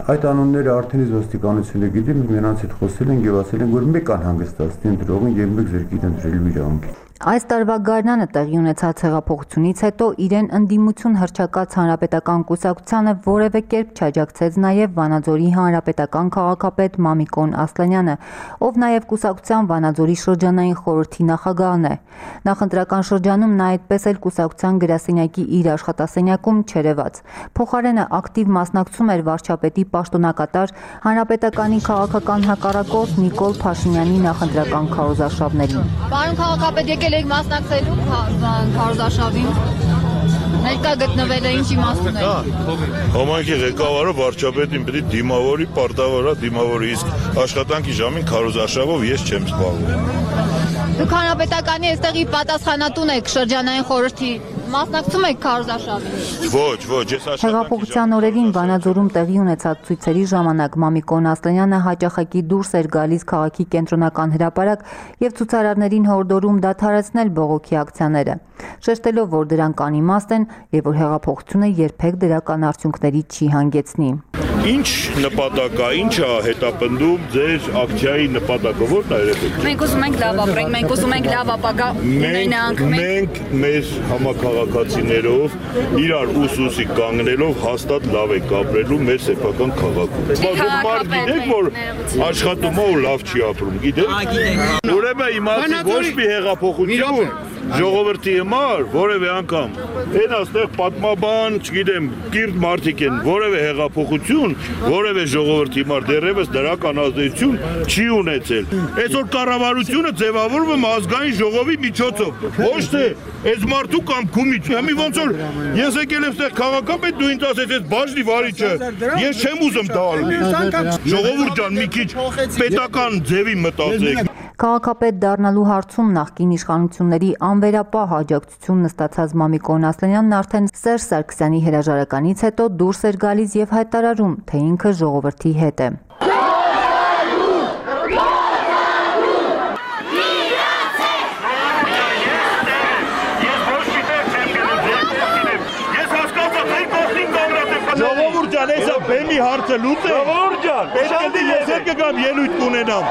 Այդ անունները արդեն իսկ ոստիկանությունը գիտի, մենք նրանց հետ խոսել ենք եւ ասել ենք, որ մեկ անհանգստացնի ընտրողին եւ մեկ զրկի ընտրելու իրավունքի։ Այս տարվա գարնանը տեղի ունեցած հեղափոխությունից հետո իրեն ընդդիմություն հռչակած հանրապետական կուսակցությանը որևէ կերպ չաջակցեց նաև Վանաձորի հանրապետական քաղաքապետ Մամիկոն Ասլանյանը, ով նաև կուսակցության Վանաձորի շրջանային խորհրդի նախագահն է։ Նախընտրական շրջանում նա այդպես էլ կուսակցության գրասենյակի իր աշխատասենյակում չերևաց։ Փոխարենը ակտիվ մասնակցում էր վարչապետի պաշտոնակատար հանրապետականի քաղաքական հակառակորդ Նիկոլ Փաշինյանի նախընտրական քարոզարշավներին։ Պարոն քաղաքապետ, եկել եք մասնակցելու քարոզարշավին։ Ներկա գտնվելը ինչ իմաստ ունի։ Համայնքի ղեկավարը վարչապետին պետք է դիմավորի, պարտավորա դիմավորի, իսկ աշխատանքի ժամին քարոզարշավով ես չեմ զբաղվում։ Դուք հանրապետականի այստեղի պատասխանատուն եք շրջանային խորհրդի, մասնակցում եք քարոզարշավին։ Ոչ, ոչ, ես աշխատանքի Հեղափոխության օրերին Վանաձորում տեղի ունեցած ցույցերի ժամանակ Մամիկոն Ասլանյանը հաճախակի դուրս էր գալիս քաղաքի կենտրոնական հրապարակ եւ ցուցարարներին հորդորում դադարեցնել բողոքի ակցիաները, շեշտելով, որ դրանք անիմաստ են եւ որ հեղափոխությունը երբեք դրական արդյունքների չի հանգեցնի։ Ինչ նպատակ է, ինչ է հետապնդում ձեր ակցիայի նպատակը, ո՞րն է երևի։ Մենք ուզում ենք լավ ապրենք, մենք ուզում ենք լավ ապագա ունենանք։ Մենք մեր համակարգացիներով իրար ուսուսի կանգնելով հաստատ լավ ենք ապրելու մեր սեփական քաղաքում։ Բայց գիտեք, որ աշխատում է ու լավ չի ապրում, գիտեք։ Ուրեմն իմացի ոչ մի հեղափոխություն ժողովրդի համար որևէ անգամ այն աստեղ պատմաբան, չգիտեմ, կիրթ մարդիկ են, որևէ հեղափոխություն, որևէ ժողովրդի համար դեռևս դրական ազդեցություն չի ունեցել։ Այսօր կառավարությունը ձևավորվում է ազգային ժողովի միջոցով, ոչ թե այս մարդու կամ քումի։ Հիմա ոնց որ ես եկել եմ այստեղ քաղաքապետ, դու ինձ ասես այս բաժնի վարիչը, ես չեմ ուզում դա անել։ Ժողովուրդ ջան, մի քիչ պետական ձևի մտածեք։ Քաղաքապետ դառնալու հարցում նախկին իշխանությունների անվերապահ աջակցություն նստացած Մամիկոն Ասլանյանն արդեն Սերժ Սարգսյանի հրաժարականից հետո դուրս էր գալիս եւ հայտարարում, թե ինքը ժողովրդի հետ է։ Ժողովուրդ ջան, այսա բեմի հարցը լուծե։ Ժողովուրդ ջան, պետք է ես հետ կգամ ելույթ կունենամ։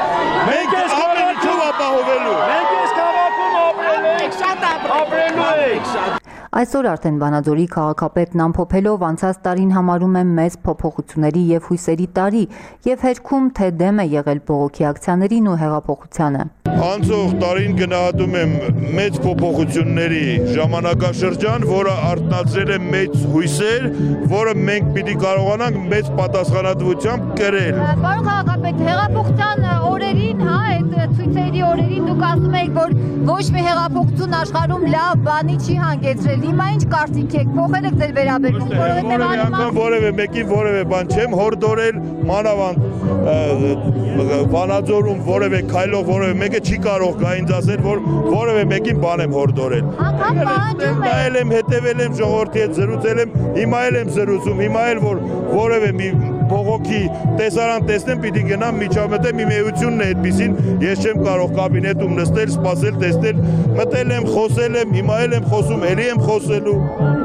Մենք ամեն ինչով ապահովելու։ Մենք այս քաղաքում ապրելու ենք, շատ ապրելու ենք։ Այսօր արդեն Վանաձորի քաղաքապետն ամփոփելով անցած տարին համարում է մեծ փոփոխությունների եւ հույսերի տարի եւ հերքում, թե դեմ է եղել բողոքի ակցիաներին ու հեղափոխությանը։ Անցող տարին գնահատում եմ մեծ փոփոխությունների ժամանակաշրջան, որը արտնացրել է մեծ հույսեր, որը մենք պիտի կարողանանք մեծ պատասխանատվությամբ կրել։ Պարոն քաղաքապետ, հեղափոխության օրերին, հա, այդ ցույցերի օրերին դուք ասում եք, որ ոչ մի հեղափոխություն աշխարհում լավ բանի չի հանգեցրել։ Հիմա ինչ կարծիք եք, փոխել եք ձեր վերաբերմունքը, որովհետեւ անգամ որևէ մեկի որևէ բան չեմ հորդորել, մանավանդ Վանաձորում որևէ քայլող որևէ մեկը չի կարող գա ինձ ասել, որ որևէ մեկին բան եմ հորդորել։ Նայել եմ, հետևել եմ, ժողովրդի հետ զրուցել եմ, հիմա էլ եմ զրուցում, հիմա էլ որ որևէ մի բողոքի տեսարան տեսնեմ, պիտի գնամ միջամտեմ, իմ էությունն է այդպեսին, ես չեմ կարող կաբինետում նստել, սպասել, տեսնել, մտել եմ, խոսել եմ, հիմա էլ եմ խոսում, ելի եմ խոսելու։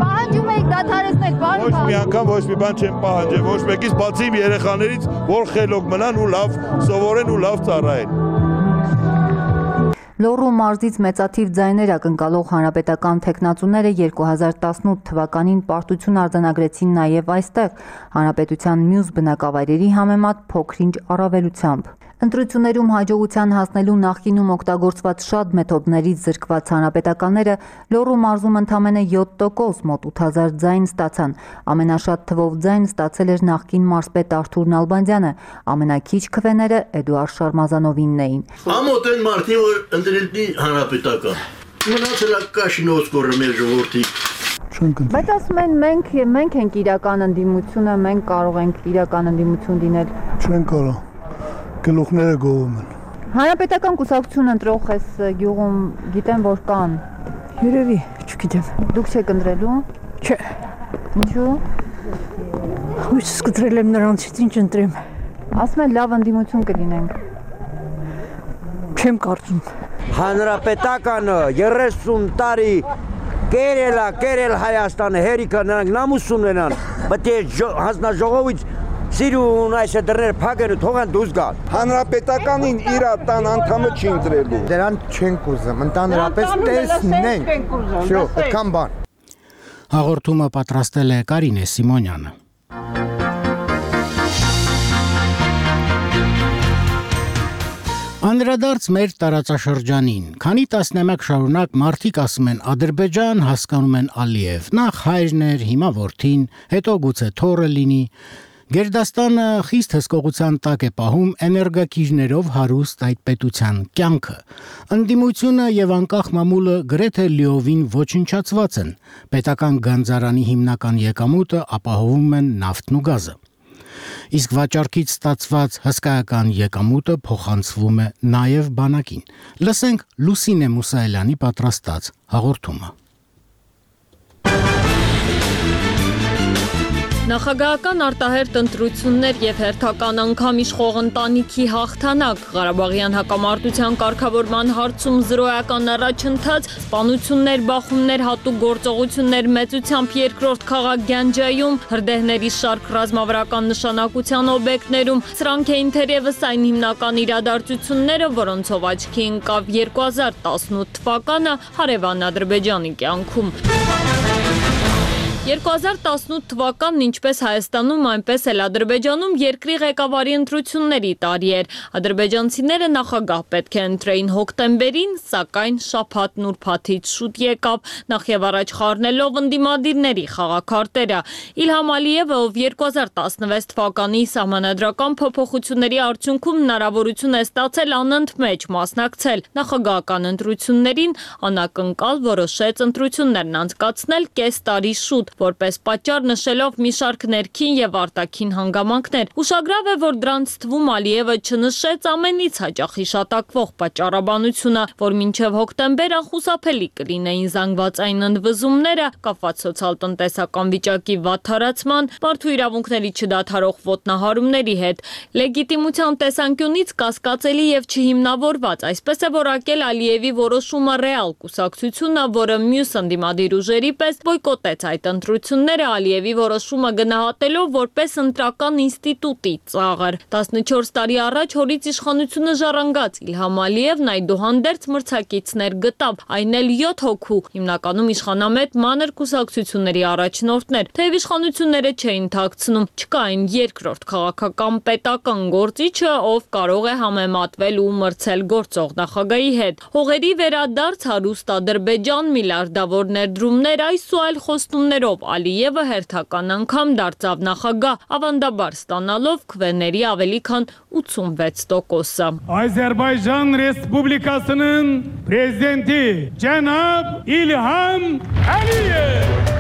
Պահանջում եք դադարեցնել, պարոն։ Ոչ մի անգամ ոչ մի բան չեմ պահանջել, ոչ մեկից բացի իմ երեխաներից, որ խելոք մնան ու լավ սովորեն ու լավ ծառայեն։ Լոռու մարզից մեծաթիվ ձայներ ակնկալող հանրապետական թեկնածուները երկու հազար տասնութ թվականին պարտություն արձանագրեցին նաև այստեղ, հանրապետության մյուս բնակավայրերի համեմատ փոքրինչ առավելությամբ։ Ընտրություններում հաջողության հասնելու նախկինում օգտագործված շատ մեթոդներից զրկված հանրապետականները Լոռու մարզում ընդամենը յոթ տոկոս մոտ ութ հազար ձայն ստացան։ Ամենաշատ թվով ձայն ստացել էր նախկին մարզպետ Արթուր Նալբանդյանը, ամենաքիչ քվեները Էդուարդ Շարմազանովինն էին։ Ամոթ են մարդի, որ ընդրելնի հանրապետական։ Մնացել է կաշինոց կորը մեր ժողովրդի։ Բայց ասում են մենք մենք ենք իրական ընդդիմությունը, մենք կարող ենք իրական ընդդիմություն դինել։ Չեն կարող։ Գլուխները գովում են։ Հանրապետական կուսակցություն ընտրող ես գյուղում գիտեմ, որ կան։ Երևի, չգիտեմ։ Դուք չեք ընտրելու։ Չէ։ Ինչու։ Հույսս կտրել եմ նրանցից, ինչ ընտրեմ։ Ասում են լավ ընդդիմություն կլինենք։ Չեմ կարծում։ Հանրապետականը երեսուն տարի կերել է, կերել Հայաստանը, հերիքը նրանք նամուս ունենան, բայց հանձնաժողովից սիրուն այս դռներ փակեն ու թողան դուրս գալ։ Հանրապետականին իր տան անդամը չի ընտրելու։ Դրան չենք ուզում, ընդհանրապես տեսնենք։ Շո, այդքան բան։ Հաղորդումը պատրաստել է Կարինե Սիմոնյանը։ Անդրադարձ մեր տարածաշրջանին, քանի տասնամյակ շարունակ մարդիկ ասում են Ադրբեջան, հասկանում են Ալիև, նախ հայրն էր, հիմա որդին, հետո գուցե թոռը լինի։ Գերդաստանը խիստ հսկողության տակ է պահում էներգակիրներով հարուստ այդ պետության կյանքը։ Ընդդիմությունը եւ անկախ մամուլը գրեթե լիովին ոչնչացված են։ Պետական գանձարանի հիմնական եկամուտը ապահովում են նավթն ու գազը։ Իսկ վաճառքից ստացված հսկայական եկամուտը փոխանցվում է նաև բանակին։ Լսենք Լուսինե Մուսայելյանի պատրաստած հաղորդումը։ Նախագահական արտահերթ ընտրություններ եւ հերթական անգամ իշխող ընտանիքի հաղթանակ, Ղարաբաղյան հակամարտության կարգավորման հարցում զրոյական առաջընթաց, սպանություններ, բախումներ, հատուկ գործողություններ մեծությամբ երկրորդ քաղաք Գանջայում, հրդեհների շարք ռազմավարական նշանակության օբյեկտներում, սրանք էին թերևս այն հիմնական իրադարձությունները, որոնցով աչքի ընկավ երկու հազար տասնութ թվականը հարևան Ադրբեջանի կյանքում։ երկու հազար տասնութ թվականն ինչպես Հայաստանում, այնպես էլ Ադրբեջանում երկրի ղեկավարի ընտրությունների տարի էր։ Ադրբեջանցիները նախագահ պետք է ընտրեին հոկտեմբերին, սակայն շաբաթն ուրբաթից շուտ եկավ, նախ եւ առաջ խառնելով ընդդիմադիրների խաղաքարտերը։ Իլհամ Ալիևը, ով երկու հազար տասնվեց թվականի սահմանադրական փոփոխությունների արդյունքում հնարավորություն է ստացել անընդմեջ մասնակցել նախագահական ընտրություններին, անակնկալ որոշեց ընտրություններն անցկացնել կես տարի շուտ, որպես պատճառ նշելով մի շարք ներքին եւ արտաքին հանգամանքներ։ Ուշագրավ է, որ դրանց թվում Ալիևը չնշեց ամենից հաճախ հիշատակվող պատճառաբանությունը, որ մինչև հոկտեմբեր անխուսափելի կլինեին զանգվածային ընդվզումները, կապված սոցիալ-տնտեսական վիճակի վատթարացման, մարդու իրավունքների չդադարող ոտնահարումների հետ։ Լեգիտիմության տեսանկյունից կասկածելի եւ չհիմնավորված, այսպես է որակել Ալիևի որոշումը ռեալ կուսակցությունը, որը մյուս ընդդիմադիր ուժերի պես բոյկոտեց այդ ընտրությունները Ալիևի որոշումը գնահատելով որպես ընտրական ինստիտուտի ծաղր։ տասնչորս տարի առաջ հորից իշխանությունը ժառանգած Իլհամ Ալիևն այդուհանդերձ մրցակիցներ գտավ, այն էլ յոթ հոգու, հիմնականում իշխանամետ մանր կուսակցությունների առաջնորդներ, թեև իշխանությունները չէին թաքցնում, չկա այն երկրորդ քաղաքական պետական գործիչը, ով կարող է համեմատվել ու մրցել գործող նախագահի հետ։ Հողերի վերադարձ, հարուստ Ադրբեջան, միլիարդավոր ներդրումներ, այս ու այլ խոստումներով Ալիևը հերթական անգամ դարձավ նախագահ, ավանդաբար ստանալով քվեների ավելի քան ութսունվեց տոկոսը։ Azərbaycan Respublikasının prezidenti Cənab İlham Əliyev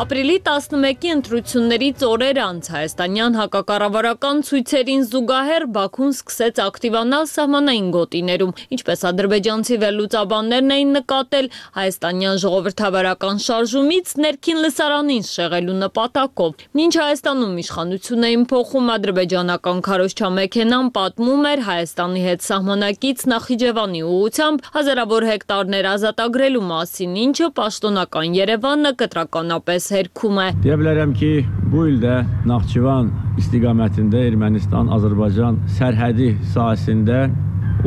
Ապրիլի տասնմեկի ընտրություններից օրեր անց հայաստանյան հակակառավարական ցույցերին զուգահեռ Բաքուն սկսեց ակտիվանալ սահմանային գոտիներում, ինչպես ադրբեջանցի վերլուծաբաններն էին նկատել, հայաստանյան ժողովրդավարական շարժումից ներքին լսարանին շեղելու նպատակով։ Մինչ Հայաստանում իշխանություն էին փոխում ադրբեջանական քարոզչամեքենան պատմում էր Հայաստանի հետ սահմանակից Նախիջևանի ուղղությամբ հազարավոր հեկտարներ ազատագրելու մասին, ինչը պաշտոնական Երևանը կտրականապես հերքում է։ Deyə bilərəm ki, bu ildə Naxçıvan istiqamətində Ermənistan-Azərbaycan sərhədi sahəsində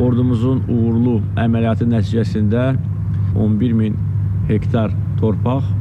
ordumuzun uğurlu əməliyyatı nəticəsində on bir min hektar torpaq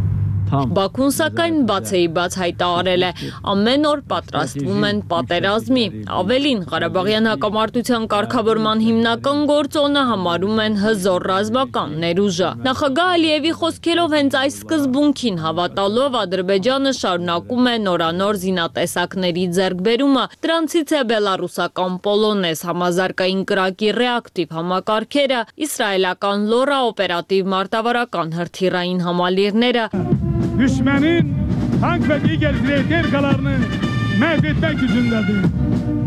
Բաքուն սակայն բացեի բաց հայտարարել է ամեն օր պատրաստվում են պատերազմի, ավելին Ղարաբաղյան հակամարտության կարգավորման հիմնական գործոնը համարում են հզոր ռազմական ներուժը։ Նախագահ Ալիևի խոսքերով հենց այս սկզբունքին հավատալով Ադրբեջանը շարունակում է նորանոր զինատեսակների ձեռքբերումը, դրանցից է բելառուսական Պոլոնես համազարգային կրակի ռեակտիվ համակարգերը, իսրայելական լորա օպերատիվ մարտավարական հրթիռային համալիրները Düşmenin tank ve diğer zireh terkalarını mahvetmek gücündedir.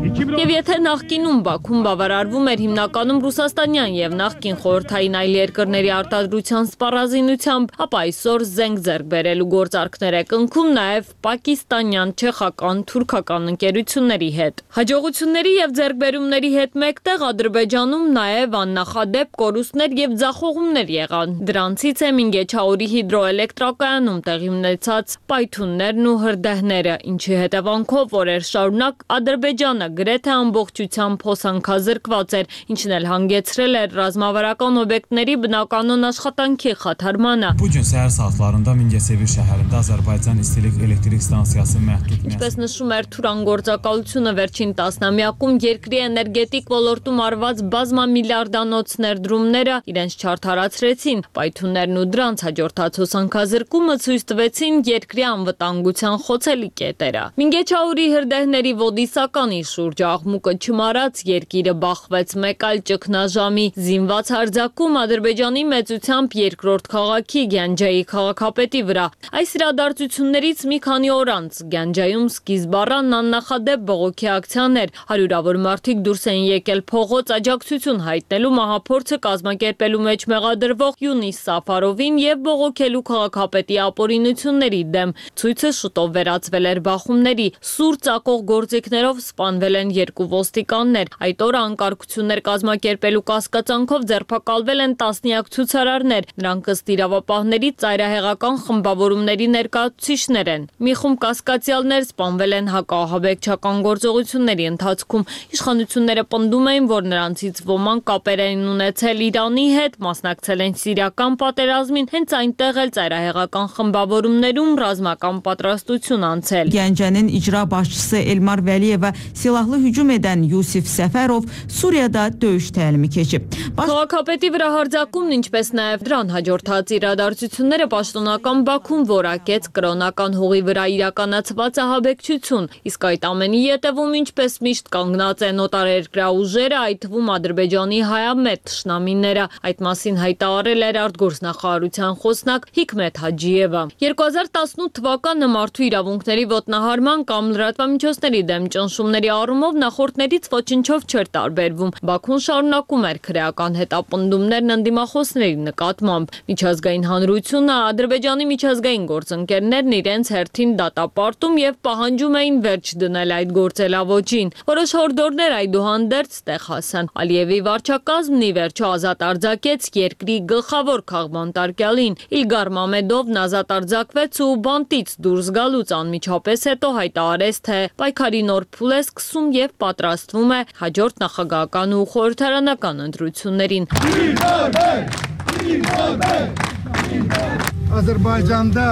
Եվ եթե նախկինում Բաքուն բավարարվում էր հիմնականում ռուսաստանյան եւ նախկին խորհրդային այլ երկրների արտադրության սպառազինությամբ, ապա այսօր զենք ձեռք բերելու գործարքներ է կնքում նաեւ պակիստանյան, չեխական, թուրքական ընկերությունների հետ։ Հաջողությունների եւ ձեռքբերումների հետ մեկտեղ Ադրբեջանում նաեւ աննախադեպ կորուստներ եւ ձախողումներ եղան։ Դրանցից է Մինգեչաուրի հիդրոէլեկտրակայանում տեղի ունեցած պայթուններն ու հրդեհները, ինչի հետևանքով օրեր շարունակ Ադրբեջանը գրեթե ամբողջությամբ հոսանքազրկված էր, ինչն էլ հանգեցրել էր ռազմավարական օբյեկտների բնականոն աշխատանքի խաթարմանը։ Bu gün səhər saatlarında Mingəçevir şəhərində Azərbaycan İstilik Elektrik Stansiyası məhdud Ինչպես նշում էր Թուրան գործակալությունը վերջին տասնամյակում երկրի էներգետիկ ոլորտում արված բազմամիլիարդանոց ներդրումները իրենց չարդարացրեցին։ Պայթուններն ու դրանց հաջորդած հոսանքազրկումը ցույց տվեցին երկրի անվտանգության խոցելի կետերը։ Մինգեչաուրի հրդեհների ոդիսականի շուրջ աղմուկը չմարած երկիրը բախվեց մեկ այլ ճգնաժամի զինված հարձակում Ադրբեջանի մեծությամբ երկրորդ քաղաքի Գյանջայի քաղաքապետի վրա։ Այս իրադարձություններից մի քանի օր անց Գյանջայում սկիզբ առան աննախադեպ բողոքի ակցիաներ, հարյուրավոր մարդիկ դուրս էին եկել փողոց աջակցություն հայտնելու մահափորձը կազմակերպելու մեջ մեղադրվող Յունիս Սաֆարովին եւ բողոքելու քաղաքապետի ապօրինությունների դեմ։ Ցույցը շուտով վերածվել էր բախումների, սուր ծակող գործիքներով սպանվել են երկու ոստիկաններ։ Այդ օրը անկարգություններ կազմակերպելու կասկածանքով ձերբակալվել են տասնյակ ցուցարարներ։ Նրանք ըստ իրավապահների ծայրահեղական խմբավորումների ներկայացուցիչներ են։ Մի խումբ կասկածյալներ սպանվել են հակահաբեկչական գործողությունների ընթացքում։ Իշխանությունները պնդում էին, որ նրանցից ոմանք կապեր են ունեցել Իրանի հետ, մասնակցել են սիրիական պատերազմին, հենց այնտեղ էլ ծայրահեղական խմբավորումներում ռազմական պատրաստություն անցել։ Gəncənin icra başçısı Elmar Vəliyevə silahlı hücum edən Yusif Səfərov Suriyada döyüş təlimi keçib. Քաղաքապետի վրա հարձակումն, ինչպես նաև դրան հաջորդած իրադարձությունները պաշտոնական Բաքուն որակեց կրոնական հողի վրա իրականացված ահաբեկչություն, իսկ այդ ամենի ետևում ինչպես միշտ կանգնած են օտարերկրյա ուժերը, այդ թվում Ադրբեջանի հայամետ թշնամիները։ Այդ մասին հայտարարել էր արտգործնախարարության խոսնակ Հիկմետ Հաջիևը։ երկու հազար տասնութ թվականը մարդու իրավունքների ոտնահարման կամ լրատվամիջոցների դեմ ճնշումների առումով նախորդներից ոչնչով չէր տարբերվում։ Բաքուն շարունակում էր քրեական հետապնդումներն ընդդիմախոսների նկատմամբ։ Միջազգային հանրությունը, Ադրբեջանի միջազգային գործընկերներն իրենց հերթին դատապարտում եւ պահանջում էին վերջ դնել այդ գործելավոճին։ Որոշ հորդորներ այդուհանդերձ տեղ հասան։ Ալիևի վարչակազմն ի վերջո ազատ արձակեց երկրի գլխավոր քաղբանտարկյալին։ Իլգար Մամեդովն ազատ արձակվեց ու բանտից դուրս գալուց անմիջապես հետո հայտարարեց, թե պայքարի նոր փուլ է սկսում եւ պատրաստվում է հաջորդ նախագահական ու խորհրդարանական ընտրություններին։ Azərbaycanda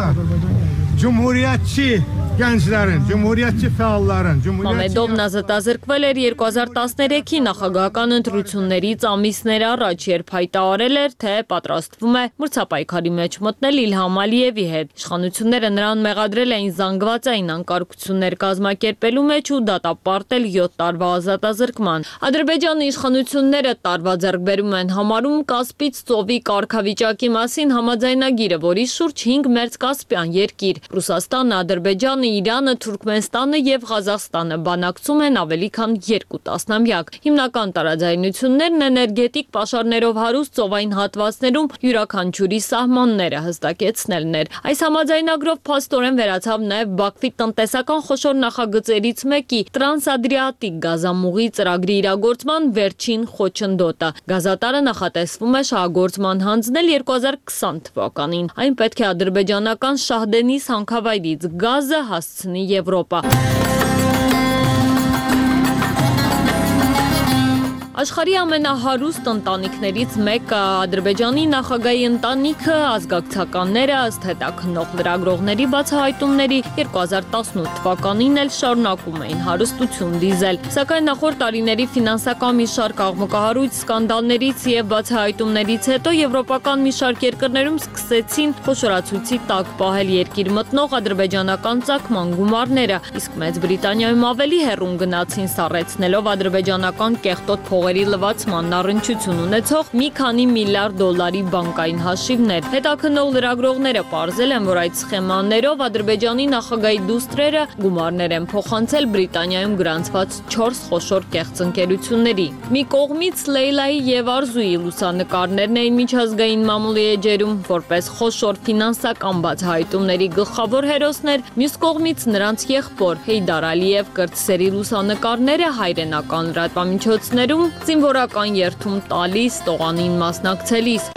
Cumhuriyyətçi gənclərin, Cumhuriyyətçi fəalların, Մամեդովն ազատազրկվել էր երկու հազար տասներեքի նախագահական ընտրություններից ամիսներ առաջ, երբ հայտարարել էր, թե պատրաստվում է մրցապայքարի մեջ մտնել Իլհամ Ալիևի հետ։ Իշխանությունները նրան մեղադրել էին զանգվածային անկարգություններ կազմակերպելու մեջ ու դատապարտել յոթ տարվա ազատազրկման։ Ադրբեջանի իշխանությունները տարվա ձեռքբերում են համարում Կասպից ծովի կարգավիճակի մասին համաձայնագիրը, որի շուրջ հինգ մերձկասպյան երկիր՝ Ռուսաստանը, Ադրբեջանը, Իրանը, Թուրքմենստանը եւ Ղազախստանը բանակցում են ավելի քան երկու տասնամյակ։ Հիմնական տարաձայնություններն էներգետիկ պաշարներով հարուստ ծովային հատվածներում յուրաքանչյուրի սահմանները հստակեցնելն էր։ Այս համաձայնագրով փաստորեն վերացավ նաեւ Բաքվի տնտեսական խոշոր նախագծերից մեկի Տրանսադրիատիկ գազամուղի ծրագրի իրագործման վերջին խոչընդոտը։ Գազատարը նախատեսվում է շահագործման հանձնել երկու հազար քսան թվականին։ Այն պետք է ադրբեջանական Շահդենիս հանքավայրից գազը հասցնի Եվրոպա։ Աշխարհի ամենահարուստ ընտանիքներից մեկը Ադրբեջանի նախագահի ընտանիքը ազգակցականները ըստ հետաքննող լրագրողների բացահայտումների երկու հազար տասնութ թվականին էլ շարունակում էին հարստություն դիզել։ Սակայն նախորդ տարիների ֆինանսական մի շարք աղմկահարույց սկանդալներից եւ բացահայտումներից հետո եվրոպական մի շարք երկրներում սկսեցին խոշորացույցի տակ պահել երկիր մտնող ադրբեջանական ծագման գումարները, իսկ Մեծ Բրիտանիայում ավելի հեռուն գնացին սառեցնելով ադրբեջանական կեղտոտ փողերի լվացման առնչություն ունեցող մի քանի միլիարդ դոլարի բանկային հաշիվներ։ Հետաքննող լրագրողները պարզել են, որ այդ սխեմաներով Ադրբեջանի նախագահի դուստրերը գումարներ են փոխանցել Բրիտանիայում գրանցված չորս խոշոր կեղծ ընկերությունների։ Մի կողմից Լեյլայի եւ Արզուի լուսանկարներն էին միջազգային մամուլի էջերում որպես խոշոր ֆինանսական բացահայտումների գլխավոր հերոսներ, մյուս կողմից նրանց եղբոր Հեյդար Ալիև կրտսերի լուսանկարները հայրենական լրատվամիջոցներում զինվորական երթում տալիս տողանին մասնակցելիս։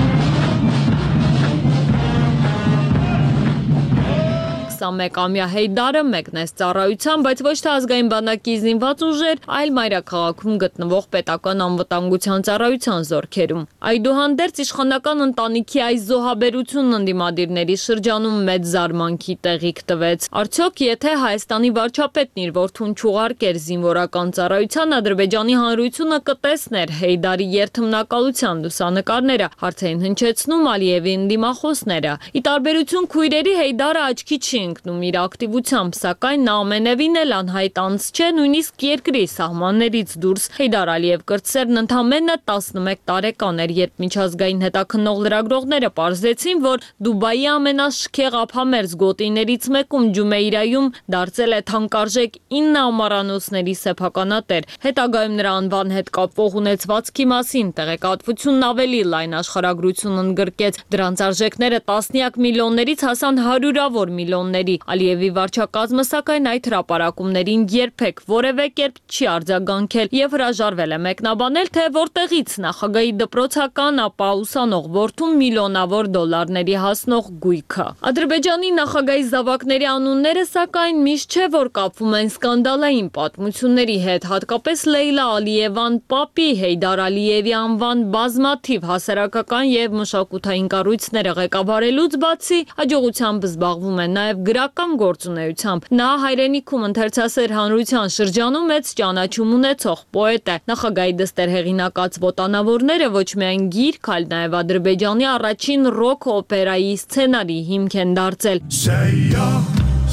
քսանմեկամյա Հեյդարը մեկնեց ծառայության, բայց ոչ թե ազգային բանակի զինված ուժեր, այլ մայրաքաղաքում գտնվող պետական անվտանգության ծառայության զորքերում։ Այդուհանդերձ իշխանական ընտանիքի այս զոհաբերությունն ընդդիմադիրների շրջանում մեծ զարմանքի տեղիք տվեց։ Արդյոք եթե Հայաստանի վարչապետն իր որդուն չուղարկեր զինվորական ծառայության, Ադրբեջանի հանրությունը կտեսներ Հեյդարի երթմնակալության լուսանկարները, հարց էին հնչեցնում Ալիևի ընդդիմախոսները։ Ի տարբերություն քույրերի Հեյդարը աչքի չի ընկնում իր ակտիվությամբ, սակայն նա ամենևին էլ անհայտ անձ չէ, նույնիսկ երկրի սահմաններից դուրս։ Հեյդար Ալիև կրտսերն ընդամենը տասնմեկ տարեկան էր, երբ միջազգային հետաքննող լրագրողները պարզեցին, որ Դուբայի ամենաշքեղ ափամերձ գոտիներից մեկում Ջումեյրայում դարձել է թանկարժեք ինը ամառանոցների սեփականատեր։ Հետագայում նրա անվան հետ կապվող ունեցվածքի մասին տեղեկատվությունն ավելի լայն աշխարհագրություն ընդգրկեց։ Դրանց արժեքները տասնյակ միլիոններից հասան հարյուրավոր միլիոնների։ Ալիևի վարչակազմը սակայն այդ հրապարակումներին երբեք որևէ կերպ չի արձագանքել եւ հրաժարվել է մեկնաբանել, թե որտեղից նախագահի դպրոցական, ապա ուսանող որդուն միլիոնավոր դոլարների հասնող գույքը։ Ադրբեջանի նախագահի զավակների անունները սակայն միշտ չէ, որ կապվում են սկանդալային պատմությունների հետ, հատկապես Լեյլա Ալիևան Պապի Հեյդար Ալիևի անվան բազմաթիվ հասարակական եւ մշակութային կառույցները ղեկավարելուց բացի հաջողությամբ զբաղվում է նաև գրական գործունեությամբ։ Նա հայրենիքում ընթերցասեր հանրության շրջանում մեծ ճանաչում ունեցող պոետ է։ Նախագահի դստեր հեղինակած ոտանավորները ոչ միայն գիրք, այլ նաև Ադրբեջանի առաջին ռոք օպերայի սցենարի հիմք են դարձել։ Սեյյահ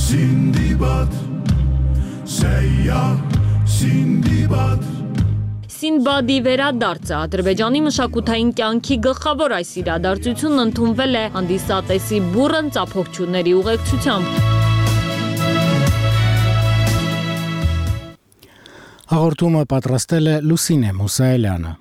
Սինդիբադ, Սեյյահ Սինդիբադ Սինբադի վերադարձը Ադրբեջանի մշակութային կյանքի գլխավոր այս իրադարձությունն ընդունվել է հանդիսատեսի բուռն ծափողջությունների ուղեկցությամբ։ Հաղորդումը պատրաստել է Լուսինե Մուսայելյանը։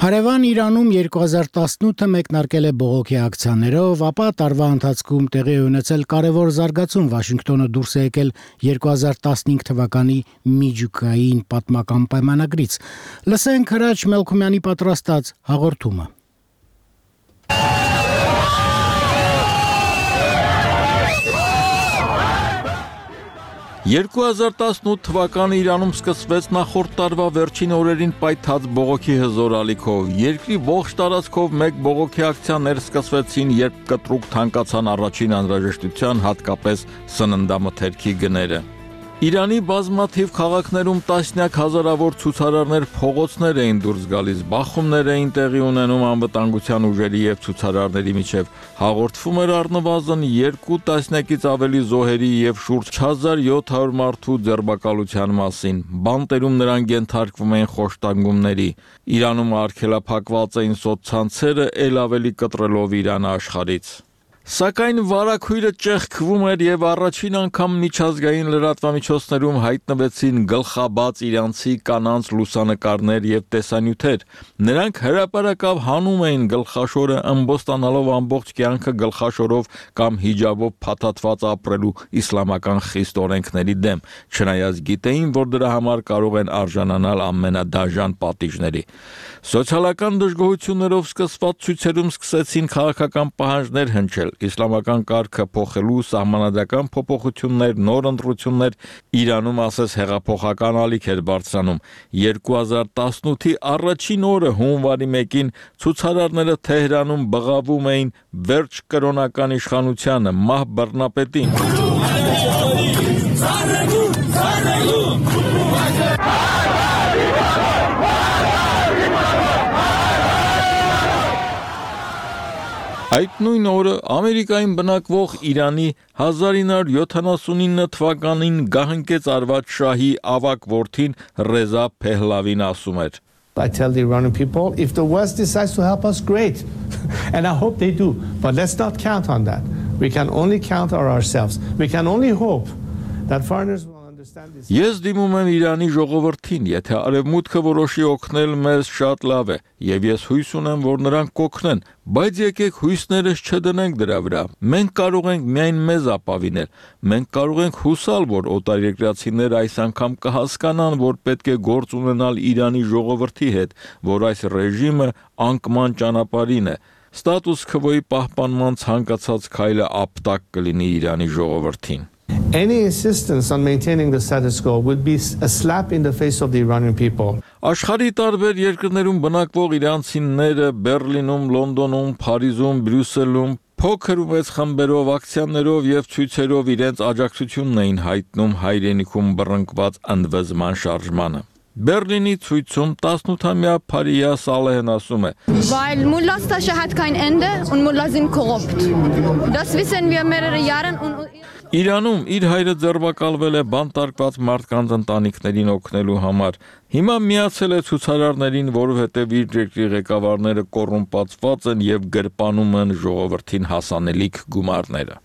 Հարևան Իրանում երկու հազար տասնութը մեկնարկել է բողոքի ակցիաներով, ապա տարվա ընթացքում տեղի ունեցել կարևոր զարգացում։ Վաշինգտոնը դուրս է եկել երկու հազար տասնհինգ թվականի միջուկային պատմական պայմանագրից։ Լսենք Հրաչ Մելքումյանի պատրաստած հաղորդումը։ երկու հազար տասնութ թվականը Իրանում սկսվեց նախորդ տարվա վերջին օրերին պայթած բողոքի հզոր ալիքով։ Երկրի ողջ տարածքով մեկ բողոքի ակցիաներ սկսվեցին, երբ կտրուկ թանկացան առաջին անհրաժեշտության, հատկապես սննդամթերքի գները։ Իրանի բազմաթիվ քաղաքներում տասնյակ հազարավոր ցուցարարներ փողոցներ էին դուրս գալիս, բախումներ էին տեղի ունենում անվտանգության ուժերի եւ ցուցարարների միջև։ Հաղորդվում էր առնվազն երկու տասնյակից ավելի զոհերի եւ շուրջ չհազար յոթ հարյուր մարդու ձերբակալության մասին։ Բանտերում նրանք ենթարկվում էին խոշտանգումների։ Իրանում արգելափակված էին սոցցանցերը, ել ավելի կտրելով Իրանը աշխարհից։ Սակայն վարագույրը ճեղքվում էր եւ առաջին անգամ միջազգային լրատվամիջոցներում հայտնվեցին գլխաբաց իրանցի կանանց լուսանկարներ եւ տեսանյութեր։ Նրանք հրապարակավ հանում էին գլխաշորը, ըմբոստանալով ամբողջ կյանքը գլխաշորով կամ հիջաբով փաթաթված ապրելու իսլամական խիստ օրենքների դեմ, չնայած գիտեին, որ դրա համար կարող են արժանանալ ամենադաժան պատիժների։ Սոցիալական դժգոհություններով սկսված ցույցերում սկսեցին քաղաքական պահանջներ հնչել։ իսլամական կարգը փոխելու սահմանադրական փոփոխություններ, նոր ընտրություններ Իրանում ասես հեղափոխական ալիք էր բարձրանում։ երկու հազար տասնութի առաջին օրը հունվարի մեկին ցուցարարները Թեհրանում բղավում էին վերջ կրոնական իշխանությանը, մահ բռնապետին։ Այդ նույն օրը Ամերիկային բնակվող Իրանի հազար ինը հարյուր յոթանասունինը թվականին գահընկեց Արվադ շահի ավագ որդին Ռեզա Փեհլավին ասում էր. I tell the Iranian people, if the West decides to help us, great. And I hope they do. But let's not count on that. We can only count on ourselves. We can only hope that foreigners will understand this. Ես դիմում եմ Իրանի ժողովրդին, եթե արևմուտքը որոշի օգնել մեզ, շատ լավ է, եւ ես հույս ունեմ, որ նրանք կօգնեն, բայց եկեք հույսներս չդնենք դրա վրա։ Մենք կարող ենք միայն մեզ ապավինել։ Մենք կարող ենք հուսալ, որ օտարերկրացիները այս անգամ կհասկանան, որ պետք է գործ ունենալ Իրանի ժողովրդի հետ, որ այս ռեժիմը անկման ճանապարհին է։ Ստատուս քվոյի պահպանման ցանկացած քայլը ապտակ կլինի Իրանի ժողովրդին։ Any insistence on maintaining the status quo would be a slap in the face of the Iranian people. Աշխարհի տարբեր երկրներում բնակվող իրանցիները Բերլինում, Լոնդոնում, Փարիզում, Բրյուսելում փոքր ու մեծ խմբերով, ակցիաներով եւ ցույցերով իրենց աջակցությունն էին հայտնում հայրենիքում բռնկված ընդվզման շարժմանը։ Բերլինի ցույցում տասնութամյա Փարիա Սալեհն ասում է. Weil Mullahs Tasche kein Ende und Mullah sind korrupt. Das wissen wir mehrere Jahre und Իրանում իր հայրը ձերբակալվել է բանտարկված մարդկանց ընտանիքներին օգնելու համար։ Հիմա միացել է ցուցարարներին, որովհետև իր երկրի ղեկավարները կոռումպացված են եւ գրպանում են ժողովրդին հասանելիք գումարները։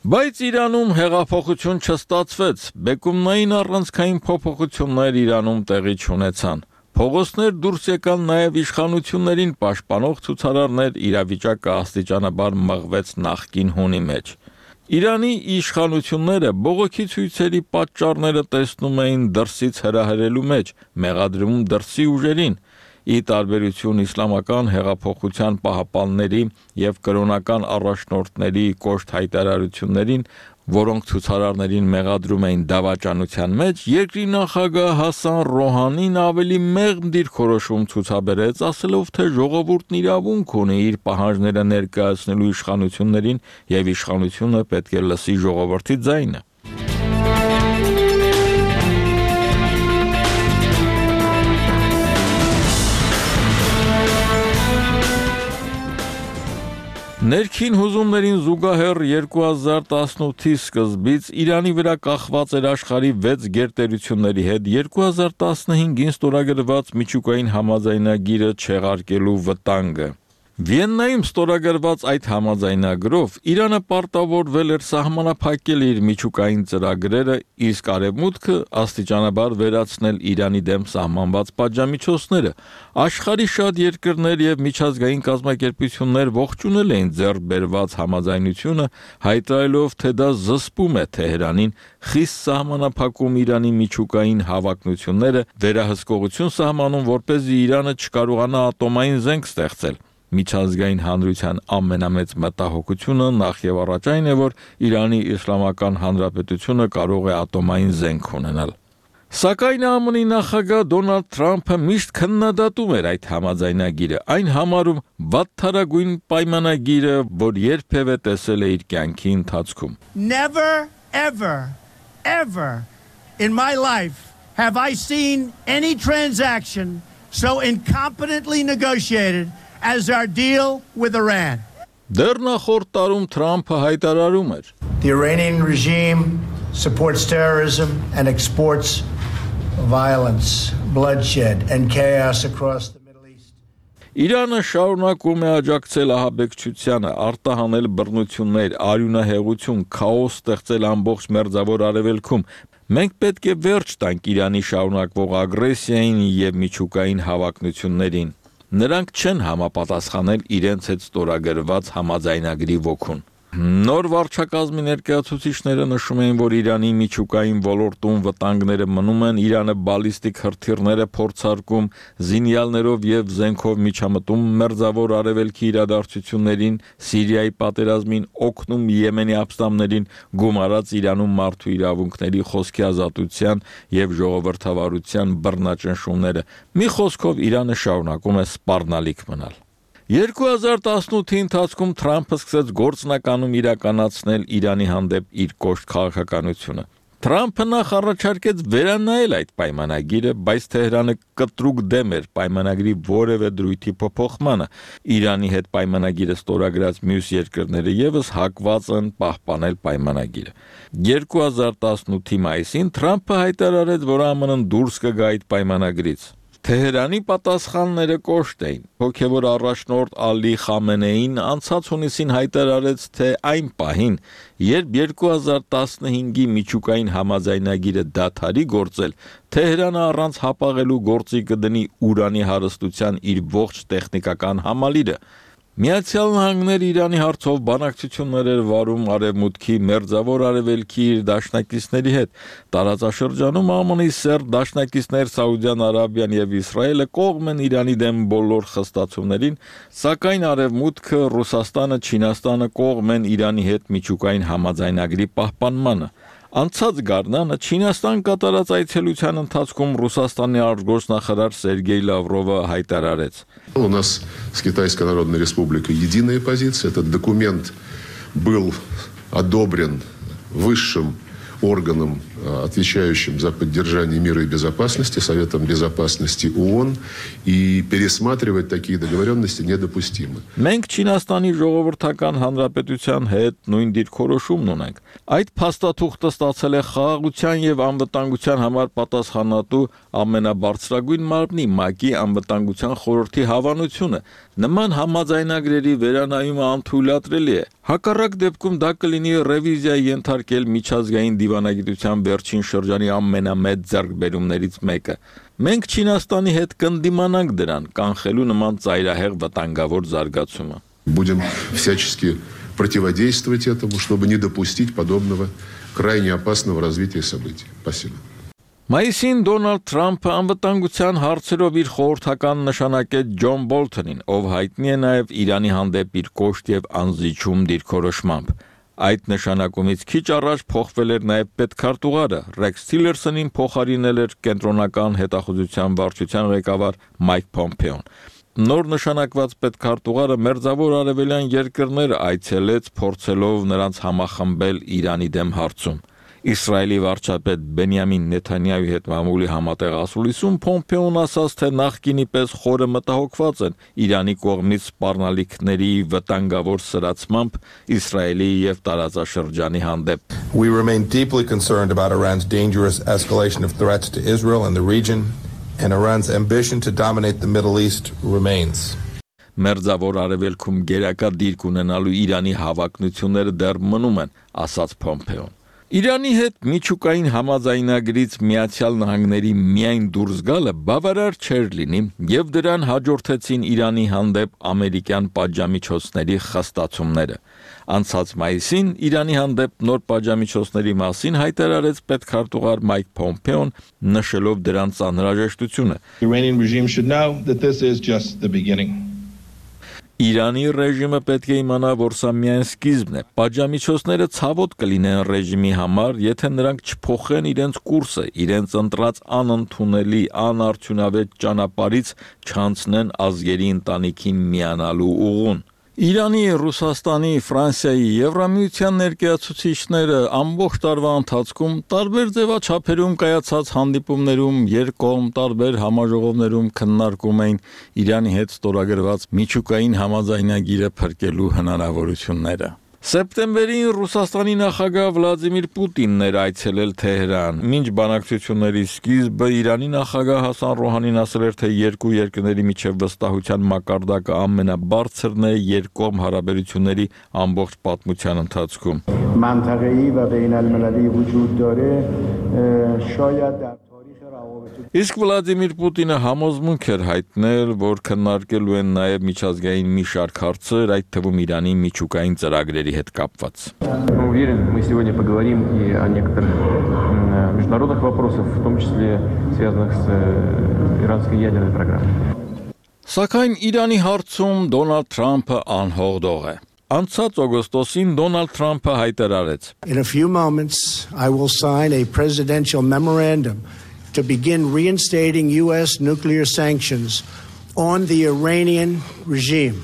Բայց Իրանում հեղափոխություն չստացվեց, բեկումնային առանցքային փոփոխություններ Իրանում տեղի չունեցան։ Փողոցներ դուրս եկան նաև իշխանություններին պաշտպանող ցուցարարներ, իրավիճակը աստիճանաբար մղվեց նախկին հունի մեջ։ Իրանի իշխանությունները բողոքի ցույցերի պատճառները տեսնում էին դրսից հրահրելու մեջ, մեղադրում դրսի ուժերին, ի տարբերություն իսլամական հեղափոխության պահապանների եւ կրոնական առաջնորդների կոշտ հայտարարություններին, որոնք ցուցարարներին մեղադրում էին դավաճանության մեջ, երկրի նախագահ Հասան Ռոհանին ավելի մեղմ դիրքորոշում ցուցաբերեց, ասելով, թե ժողովուրդն իրավունք ունի իր պահանջները ներկայացնելու իշխանություններին եւ իշխանությունը պետք է լսի ժողովրդի ձայնը։ Ներքին հուզումներին զուգահեռ երկու հազար տասնութի սկզբից Իրանի վրա կախված էր աշխարհի վեց գերտերությունների հետ երկու հազար տասնհինգին ստորագրված միջուկային համաձայնագիրը չեղարկելու վտանգը։ Վիեննայում ստորագրված այդ համաձայնագրով Իրանը պարտավորվել էր սահմանափակել իր միջուկային ծրագրերը, իսկ Արևմուտքը աստիճանաբար վերացնել Իրանի դեմ սահմանված պատժամիջոցները։ Աշխարհի շատ երկրներ եւ միջազգային կազմակերպություններ ողջունել էին ձեռք բերված համաձայնությունը, հայտարարելով, թե դա զսպում է Թեհրանին, խիստ սահմանափակում Իրանի միջուկային հավակնությունները, վերահսկողություն սահմանում, որպեսզի Իրանը չկարողանա ատոմային զենք ստեղծել։ Միջազգային հանրության ամենամեծ մտահոգությունը նախ եւ առաջ այն է, որ Իրանի Իսլամական Հանրապետությունը կարող է ատոմային զենք ունենալ։ Սակայն ԱՄՆ-ի նախագահ Դոնալդ Թրամփը միշտ քննադատում էր այդ համաձայնագիրը, այն համարում վատթարագույն պայմանագիրը, որ երբևէ տեսել է իր կյանքի ընթացքում։ Never ever ever in my life have I seen any transaction so incompetently negotiated as our deal with Iran. Դեռ նախորդ տարում Թրամփը հայտարարում էր. The Iranian regime supports terrorism and exports violence, bloodshed and chaos across the Middle East. Իրանը շարունակում է աջակցել ահաբեկչությանը, արտահանել բռնություններ, արյունահեղություն, քաոս ստեղծել ամբողջ մերձավոր արևելքում։ Մենք պետք է վերջ տանք Իրանի շարունակվող ագրեսիային եւ միջուկային հավակնություններին։ Նրանք չեն համապատասխանել իրենց հետ ստորագրված համաձայնագրի ոգուն։ Նոր վարչակազմի ներկայացուցիչները նշում էին, որ Իրանի միջուկային ոլորտում վտանգները մնում են, Իրանը բալիստիկ հրթիռներ է փորձարկում, զինյալներով եւ զենքով միջամտում մերձավոր արևելքի իրադարձություններին, Սիրիայի պատերազմին, օգնում Եմենի ապստամբներին, գումարած Իրանում մարդու իրավունքների, խոսքի ազատության եւ ժողովրդավարության բռնաճնշումները։ Մի խոսքով Իրանը շարունակում է սպառնալիք մնալ։ երկու հազար տասնութի ընթացքում Թրամփը սկսեց գործնականում իրականացնել Իրանի հանդեպ իր կոշտ քաղաքականությունը։ Թրամփը նախ առաջարկեց վերանայել այդ պայմանագիրը, բայց Թեհրանը կտրուկ դեմ էր պայմանագրի որևէ դրույթի փոփոխմանը։ Իրանի հետ պայմանագիրը ստորագրած մյուս երկրները եւս հակված են պահպանել պայմանագիրը։ երկու հազար տասնութի մայիսին Թրամփը հայտարարեց, որ ԱՄՆ-ն դուրս կգա այդ պայմանագրից։ Թեհրանի պատասխանները կոշտ էին։ Հոգևոր առաջնորդ Ալի Խամենեին անցած հունիսին հայտարարեց, թե այն պահին, երբ երկու հազար տասնհինգի միջուկային համաձայնագիրը դադարի գործել, Թեհրանը առանց հապաղելու գործի կդնի ուրանի հարստության իր ողջ տեխնիկական համալիրը։ Միացյալ Նահանգները Իրանի հարցով բանակցություններ էր վարում Արևմուտքի մերձավոր արևելքի իր դաշնակիցների հետ։ Տարածաշրջանում ԱՄՆ-ի սերտ դաշնակիցներ Սաուդյան Արաբիան եւ Իսրայելը կողմ են Իրանի դեմ բոլոր խստացումներին, սակայն Արևմուտքը, Ռուսաստանը, Չինաստանը կողմ են Իրանի հետ միջուկային համաձայնագրի պահպանմանը։ Անցած գարնանը Չինաստան կատարած այցելության ընթացքում Ռուսաստանի արտգործնախարար Սերգեյ Լավրովը հայտարարեց. У нас с Китайской Народной Республикой единая позиция. Этот документ был одобрен высшим органом, отвечающим за поддержание мира и безопасности, Советом Безопасности ООН, и пересматривать такие договоренности недопустимо. Մենք Չինաստանի ժողովրդական հանրապետության հետ նույն դիրքորոշումն ունենք։ Այդ փաստաթուղթը ստացել է խաղաղության եւ անվտանգության համար պատասխանատու ամենաբարձրագույն մարմնի ՄԱԿ-ի անվտանգության խորհրդի հավանությունը։ Նման համաձայնագրերի վերանայումը անթույլատրելի է։ Հակառակ դեպքում դա կլինի ռևիզիայի ենթարկել միջազգային դիվանագիտության վերջին շրջանի ամենամեծ ձեռքբերումներից մեկը։ Մենք Չինաստանի հետ կընդդիմանանք դրան, կանխելու նման ծայրահեղ վտանգավոր զարգացումը։ Будем всячески противодействовать этому, чтобы не допустить подобного крайне опасного развития событий. Спасибо. Մայիսին Դոնալդ Թրամփը անվտանգության հարցերով իր խորհրդական նշանակեց Ջոն Բոլթոնին, ով հայտնի է նաև Իրանի հանդեպ իր կոշտ եւ անզիջում դիրքորոշմամբ։ Այդ նշանակումից քիչ առաջ փոխվել էր նաև պետքարտուղարը, Ռեքս Թիլերսոնին փոխարինել էր կենտրոնական հետախուզության վարչության ղեկավար Մայք Փոմպեոն։ Նոր նշանակված պետքարտուղարը մերձավոր արևելյան երկրներ այցելեց, փորձելով նրանց համախմբել Իրանի դեմ հարցում։ Իսրայելի վարչապետ Բենյամին Նեթանյահուի հետ մամուլի համատեղ ասուլիսում Փոմպեոն ասաց, թե նախկինի պես խորը մտահոգված են Իրանի կողմից սպառնալիքների վտանգավոր սրացմամբ Իսրայելի եւ տարածաշրջանի հանդեպ. We remain deeply concerned about Iran's dangerous escalation of threats to Israel and the region, and Iran's ambition to dominate the Middle East remains. Մերձավոր արևելքում գերակա դիրք ունենալու Իրանի հավակնությունները դեռ մնում են, ասաց Փոմպեոն։ Իրանի հետ միջուկային համաձայնագրից Միացյալ Նահանգների միայն դուրս գալը բավարար չէր լինի եւ դրան հաջորդեցին Իրանի հանդեպ ամերիկյան պատժամիջոցների խստացումները։ Անցած մայիսին Իրանի հանդեպ նոր պատժամիջոցների մասին հայտարարեց պետքարտուղար Մայք Փոմպեոն, նշելով դրանց անհրաժեշտությունը։ The Iranian regime should know that this is just the beginning. Իրանի ռեժիմը պետք է իմանա, որ սա միայն սկիզբն է։ Պատժամիջոցները ցավոտ կլինեն ռեժիմի համար, եթե նրանք չփոխեն իրենց կուրսը, իրենց ընտրած անընդունելի, անարդյունավետ ճանապարհից չանցնեն ազգերի ընտանիքին միանալու ուղուն։ Իրանի, Ռուսաստանի, Ֆրանսիայի, Եվրամիության ներկայացուցիչները ամբողջ տարվա ընթացքում տարբեր ձևաչափերում կայացած հանդիպումներում, երկկողմ տարբեր համաժողովներում քննարկում էին Իրանի հետ ստորագրված միջուկային համաձայնագիրը փրկելու հնարավորությունները։ Սեպտեմբերին Ռուսաստանի նախագահ Վլադիմիր Պուտինն էր այցելել Թեհրան։ Մինչ բանակցությունների սկիզբը Իրանի նախագահ Հասան Ռոհանին ասել էր, թե երկու երկրների միջև վստահության մակարդակը ամենաբարձրն է երկկողմ հարաբերությունների ամբողջ պատմության ընթացքում։ منطقه‌ای و بین المللی وجود داره شاید در Իսկ Վլադիմիր Պուտինը համոզմունք էր հայտնել, որ քննարկելու են նաև միջազգային մի շարք հարցեր, այդ թվում Իրանի միջուկային ծրագրերի հետ կապված։ Уверен, мы сегодня поговорим и о некоторых международных вопросах, в том числе связанных с иранской ядерной программой. Սակայն Իրանի հարցում Դոնալդ Թրամփը անհողդող է։ Անցած օգոստոսին Դոնալդ Թրամփը հայտարարեց. In a few moments, I will sign a presidential memorandum to begin reinstating U S nuclear sanctions on the Iranian regime.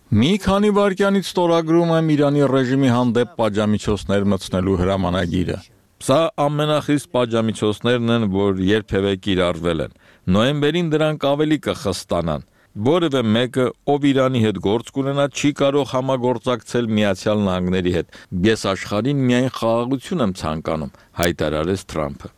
Մի քանի վայրկյանից ստորագրում եմ Իրանի ռեժիմի հանդեպ պատժամիջոցներ մտցնելու հրամանագիրը։ Սա ամենախիստ պատժամիջոցներն են, որ երբևէ կիրառվել են։ Նոյեմբերին դրանք ավելի կխստանան։ Որևէ մեկը, ով Իրանի հետ գործ կունենա, չի կարող համագործակցել Միացյալ Նահանգների հետ։ Ես աշխարհին միայն խաղաղություն եմ ցանկանում, հայտարարեց Թրամփը։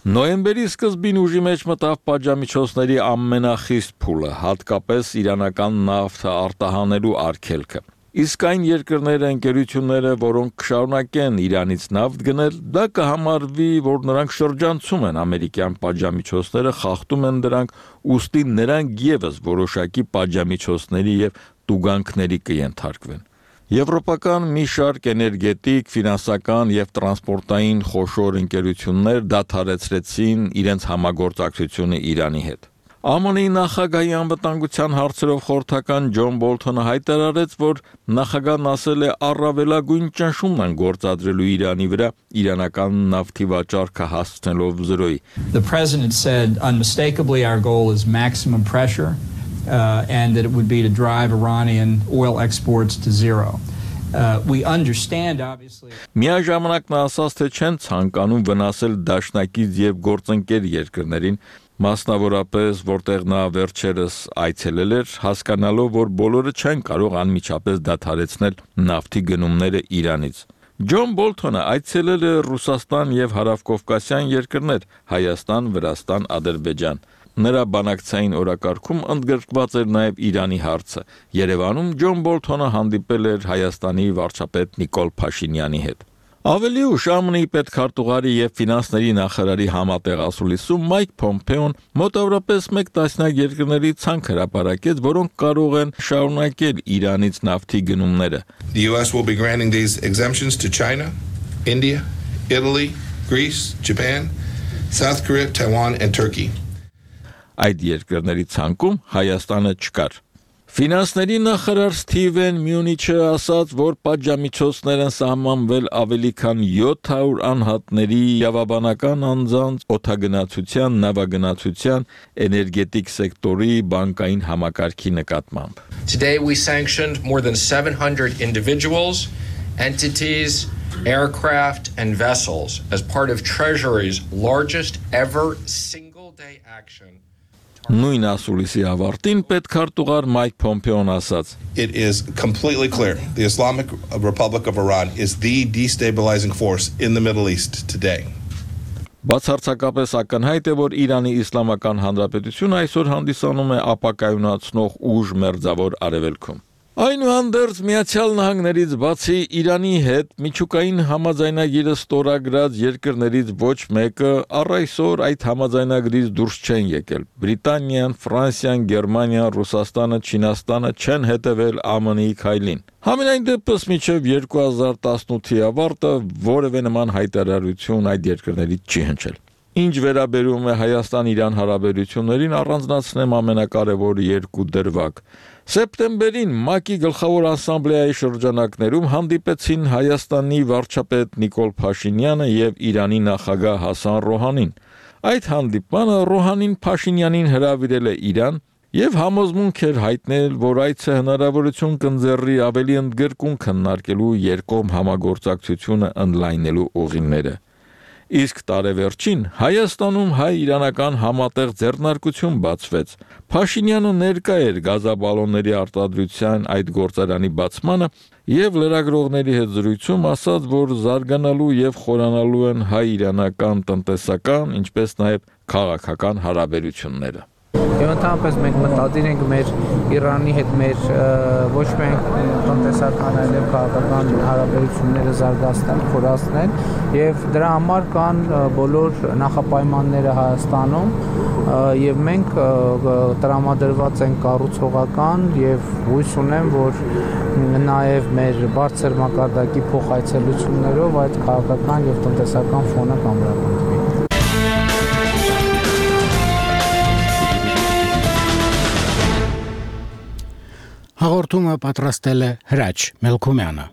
Նոյեմբերի սկզբին ուժի մեջ մտավ պատժամիջոցների ամենախիստ փուլը, հատկապես իրանական նավթը արտահանելու արգելքը։ Իսկ այն երկրները, ընկերությունները, որոնք կշարունակեն Իրանից նավթ գնել, դա կհամարվի, որ նրանք շրջանցում են ամերիկյան պատժամիջոցները, խախտում են դրանք, ուստի նրանք ևս որոշակի պատժամիջոցների եւ տուգանքների կենթարկվեն։ Եվրոպական մի շարք էներգետիկ, ֆինանսական եւ տրանսպորտային խոշոր ընկերություններ դադարեցրեցին իրենց համագործակցությունը Իրանի հետ։ ԱՄՆ-ի նախագահի անվտանգության հարցերով խորհրդական Ջոն Բոլթոնը հայտարարեց, որ նախագահն ասել է առավելագույն ճնշումն են գործադրելու Իրանի վրա իրանական նավթի վաճառքը հասցնելով զրոյի։ The president said unmistakably our goal is maximum pressure. Uh, and that it would be to drive Iranian oil exports to zero. Uh, we understand, obviously. Միաժամանակ նա ասաց, թե չեն ցանկանում վնասել դաշնակից եւ գործընկեր երկրներին, մասնավորապես որտեղ նա վերջերս այցելել էր, հասկանալով, որ բոլորը չեն կարող անմիջապես դադարեցնել նավթի գնումները Իրանից։ Ջոն Բոլթոնը այցելել է Ռուսաստան եւ հարավկովկասյան երկրներ՝ Հայաստան, Վրաստան, Ադրբեջան։ Նրա բանակցային օրակարգում ընդգրկված էր նաև Իրանի հարցը։ Երևանում Ջոն Բոլթոնը հանդիպել էր Հայաստանի վարչապետ Նիկոլ Փաշինյանի հետ։ Ավելի ուշ ԱՄՆ-ի պետքարտուղարի եւ ֆինանսների նախարարի համատեղ ասուլիսում Մայք Փոմպեոն մոտավորապես մեկ տասնյակ երկրների ցանկ հրապարակեց, որոնք կարող են շարունակել Իրանից նավթի գնումները։ The U S will be granting these exemptions to China, India, Italy, Greece, Japan, South Korea, Taiwan and Turkey. Այդ երկրների ցանկում Հայաստանը չկար։ Ֆինանսների նախարար Սթիվեն Մյունիչը ասաց, որ պատժամիջոցներ են սահմանվել ավելի քան յոթ հարյուր անհատների, իրավաբանական անձանց, օդագնացության, նավագնացության, էներգետիկ սեկտորի, բանկային համակարգի նկատմամբ։ Today we sanctioned more than seven hundred individuals, entities, aircraft and vessels as part of Treasury's largest ever single day action. Նույն ասուլիսի ավարտին պետքարտուղար Մայք Փոմպեոն ասաց. It is completely clear the Islamic Republic of Iran is the destabilizing force in the Middle East today. Բացարձակապես ակնհայտ է, որ Իրանի Իսլամական Հանրապետությունը այսօր հանդիսանում է ապակայունացնող ուժ մերձավոր արևելքում։ Այնուհանդերձ Միացյալ Նահանգներից բացի Իրանի հետ միջուկային համաձայնագիրը ստորագրած երկրներից ոչ մեկը առ այսօր այդ համաձայնագրից դուրս չեն եկել։ Բրիտանիան, Ֆրանսիան, Գերմանիան, Ռուսաստանը, Չինաստանը չեն հետևել ԱՄՆ-ի քայլին։ Համենայն դեպս մինչև երկու հազար տասնութի ավարտը որևէ նման հայտարարություն այդ երկրներից չի հնչել։ Ինչ վերաբերում է Հայաստան-Իրան հարաբերություններին, առանձնացնեմ ամենակարևոր երկու դրվագ։ Սեպտեմբերին ՄԱԿ-ի գլխավոր ասամբլեայի շրջանակներում հանդիպեցին Հայաստանի վարչապետ Նիկոլ Փաշինյանը եւ Իրանի նախագահ Հասան Ռոհանին։ Այդ հանդիպանը Ռոհանին Փաշինյանին հրավիրել է Իրան եւ համոզմունք էր հայտնել, որ այցը հնարավորություն կընձեռի ավելի ընդգրկուն քննարկելու երկկողմ համագործակցությունը ընդլայնելու ուղիները։ Իսկ տարեվերջին Հայաստանում հայ-իրանական համատեղ ձեռնարկություն բացվեց։ Փաշինյանը ներկա էր գազաբալոնների արտադրության այդ գործարանի բացմանը եւ լրագրողների հետ զրույցում ասաց, որ զարգանալու եւ խորանալու են հայ-իրանական տնտեսական, ինչպես նաեւ քաղաքական հարաբերությունները։ Եվ ընդհանրապես մենք մտադիր ենք մեր Իրանի հետ մեր ոչ միայն տնտեսական, այլև քաղաքական հարաբերությունները զարգացնել, խորացնել եւ դրա համար կան բոլոր նախապայմանները Հայաստանում եւ մենք տրամադրված ենք կառուցողական եւ հույս ունեմ, որ նաեւ մեր բարձր մակարդակի փոխայցելություններով այդ քաղաքական եւ տնտեսական ֆոնը կամրապնդվի։ Հաղորդումը պատրաստել է Հրաչ Մելքումյանը։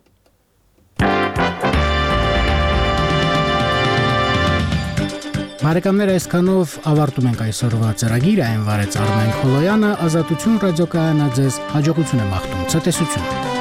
Բարեկամներ, այսքանով ավարտում ենք այսօրվա ծրագիրը, այն վարեց Արմեն Խոլոյանը, Ազատություն ռադիոկայանը ձեզ հաջողություն է մաղթում, ցտեսություն։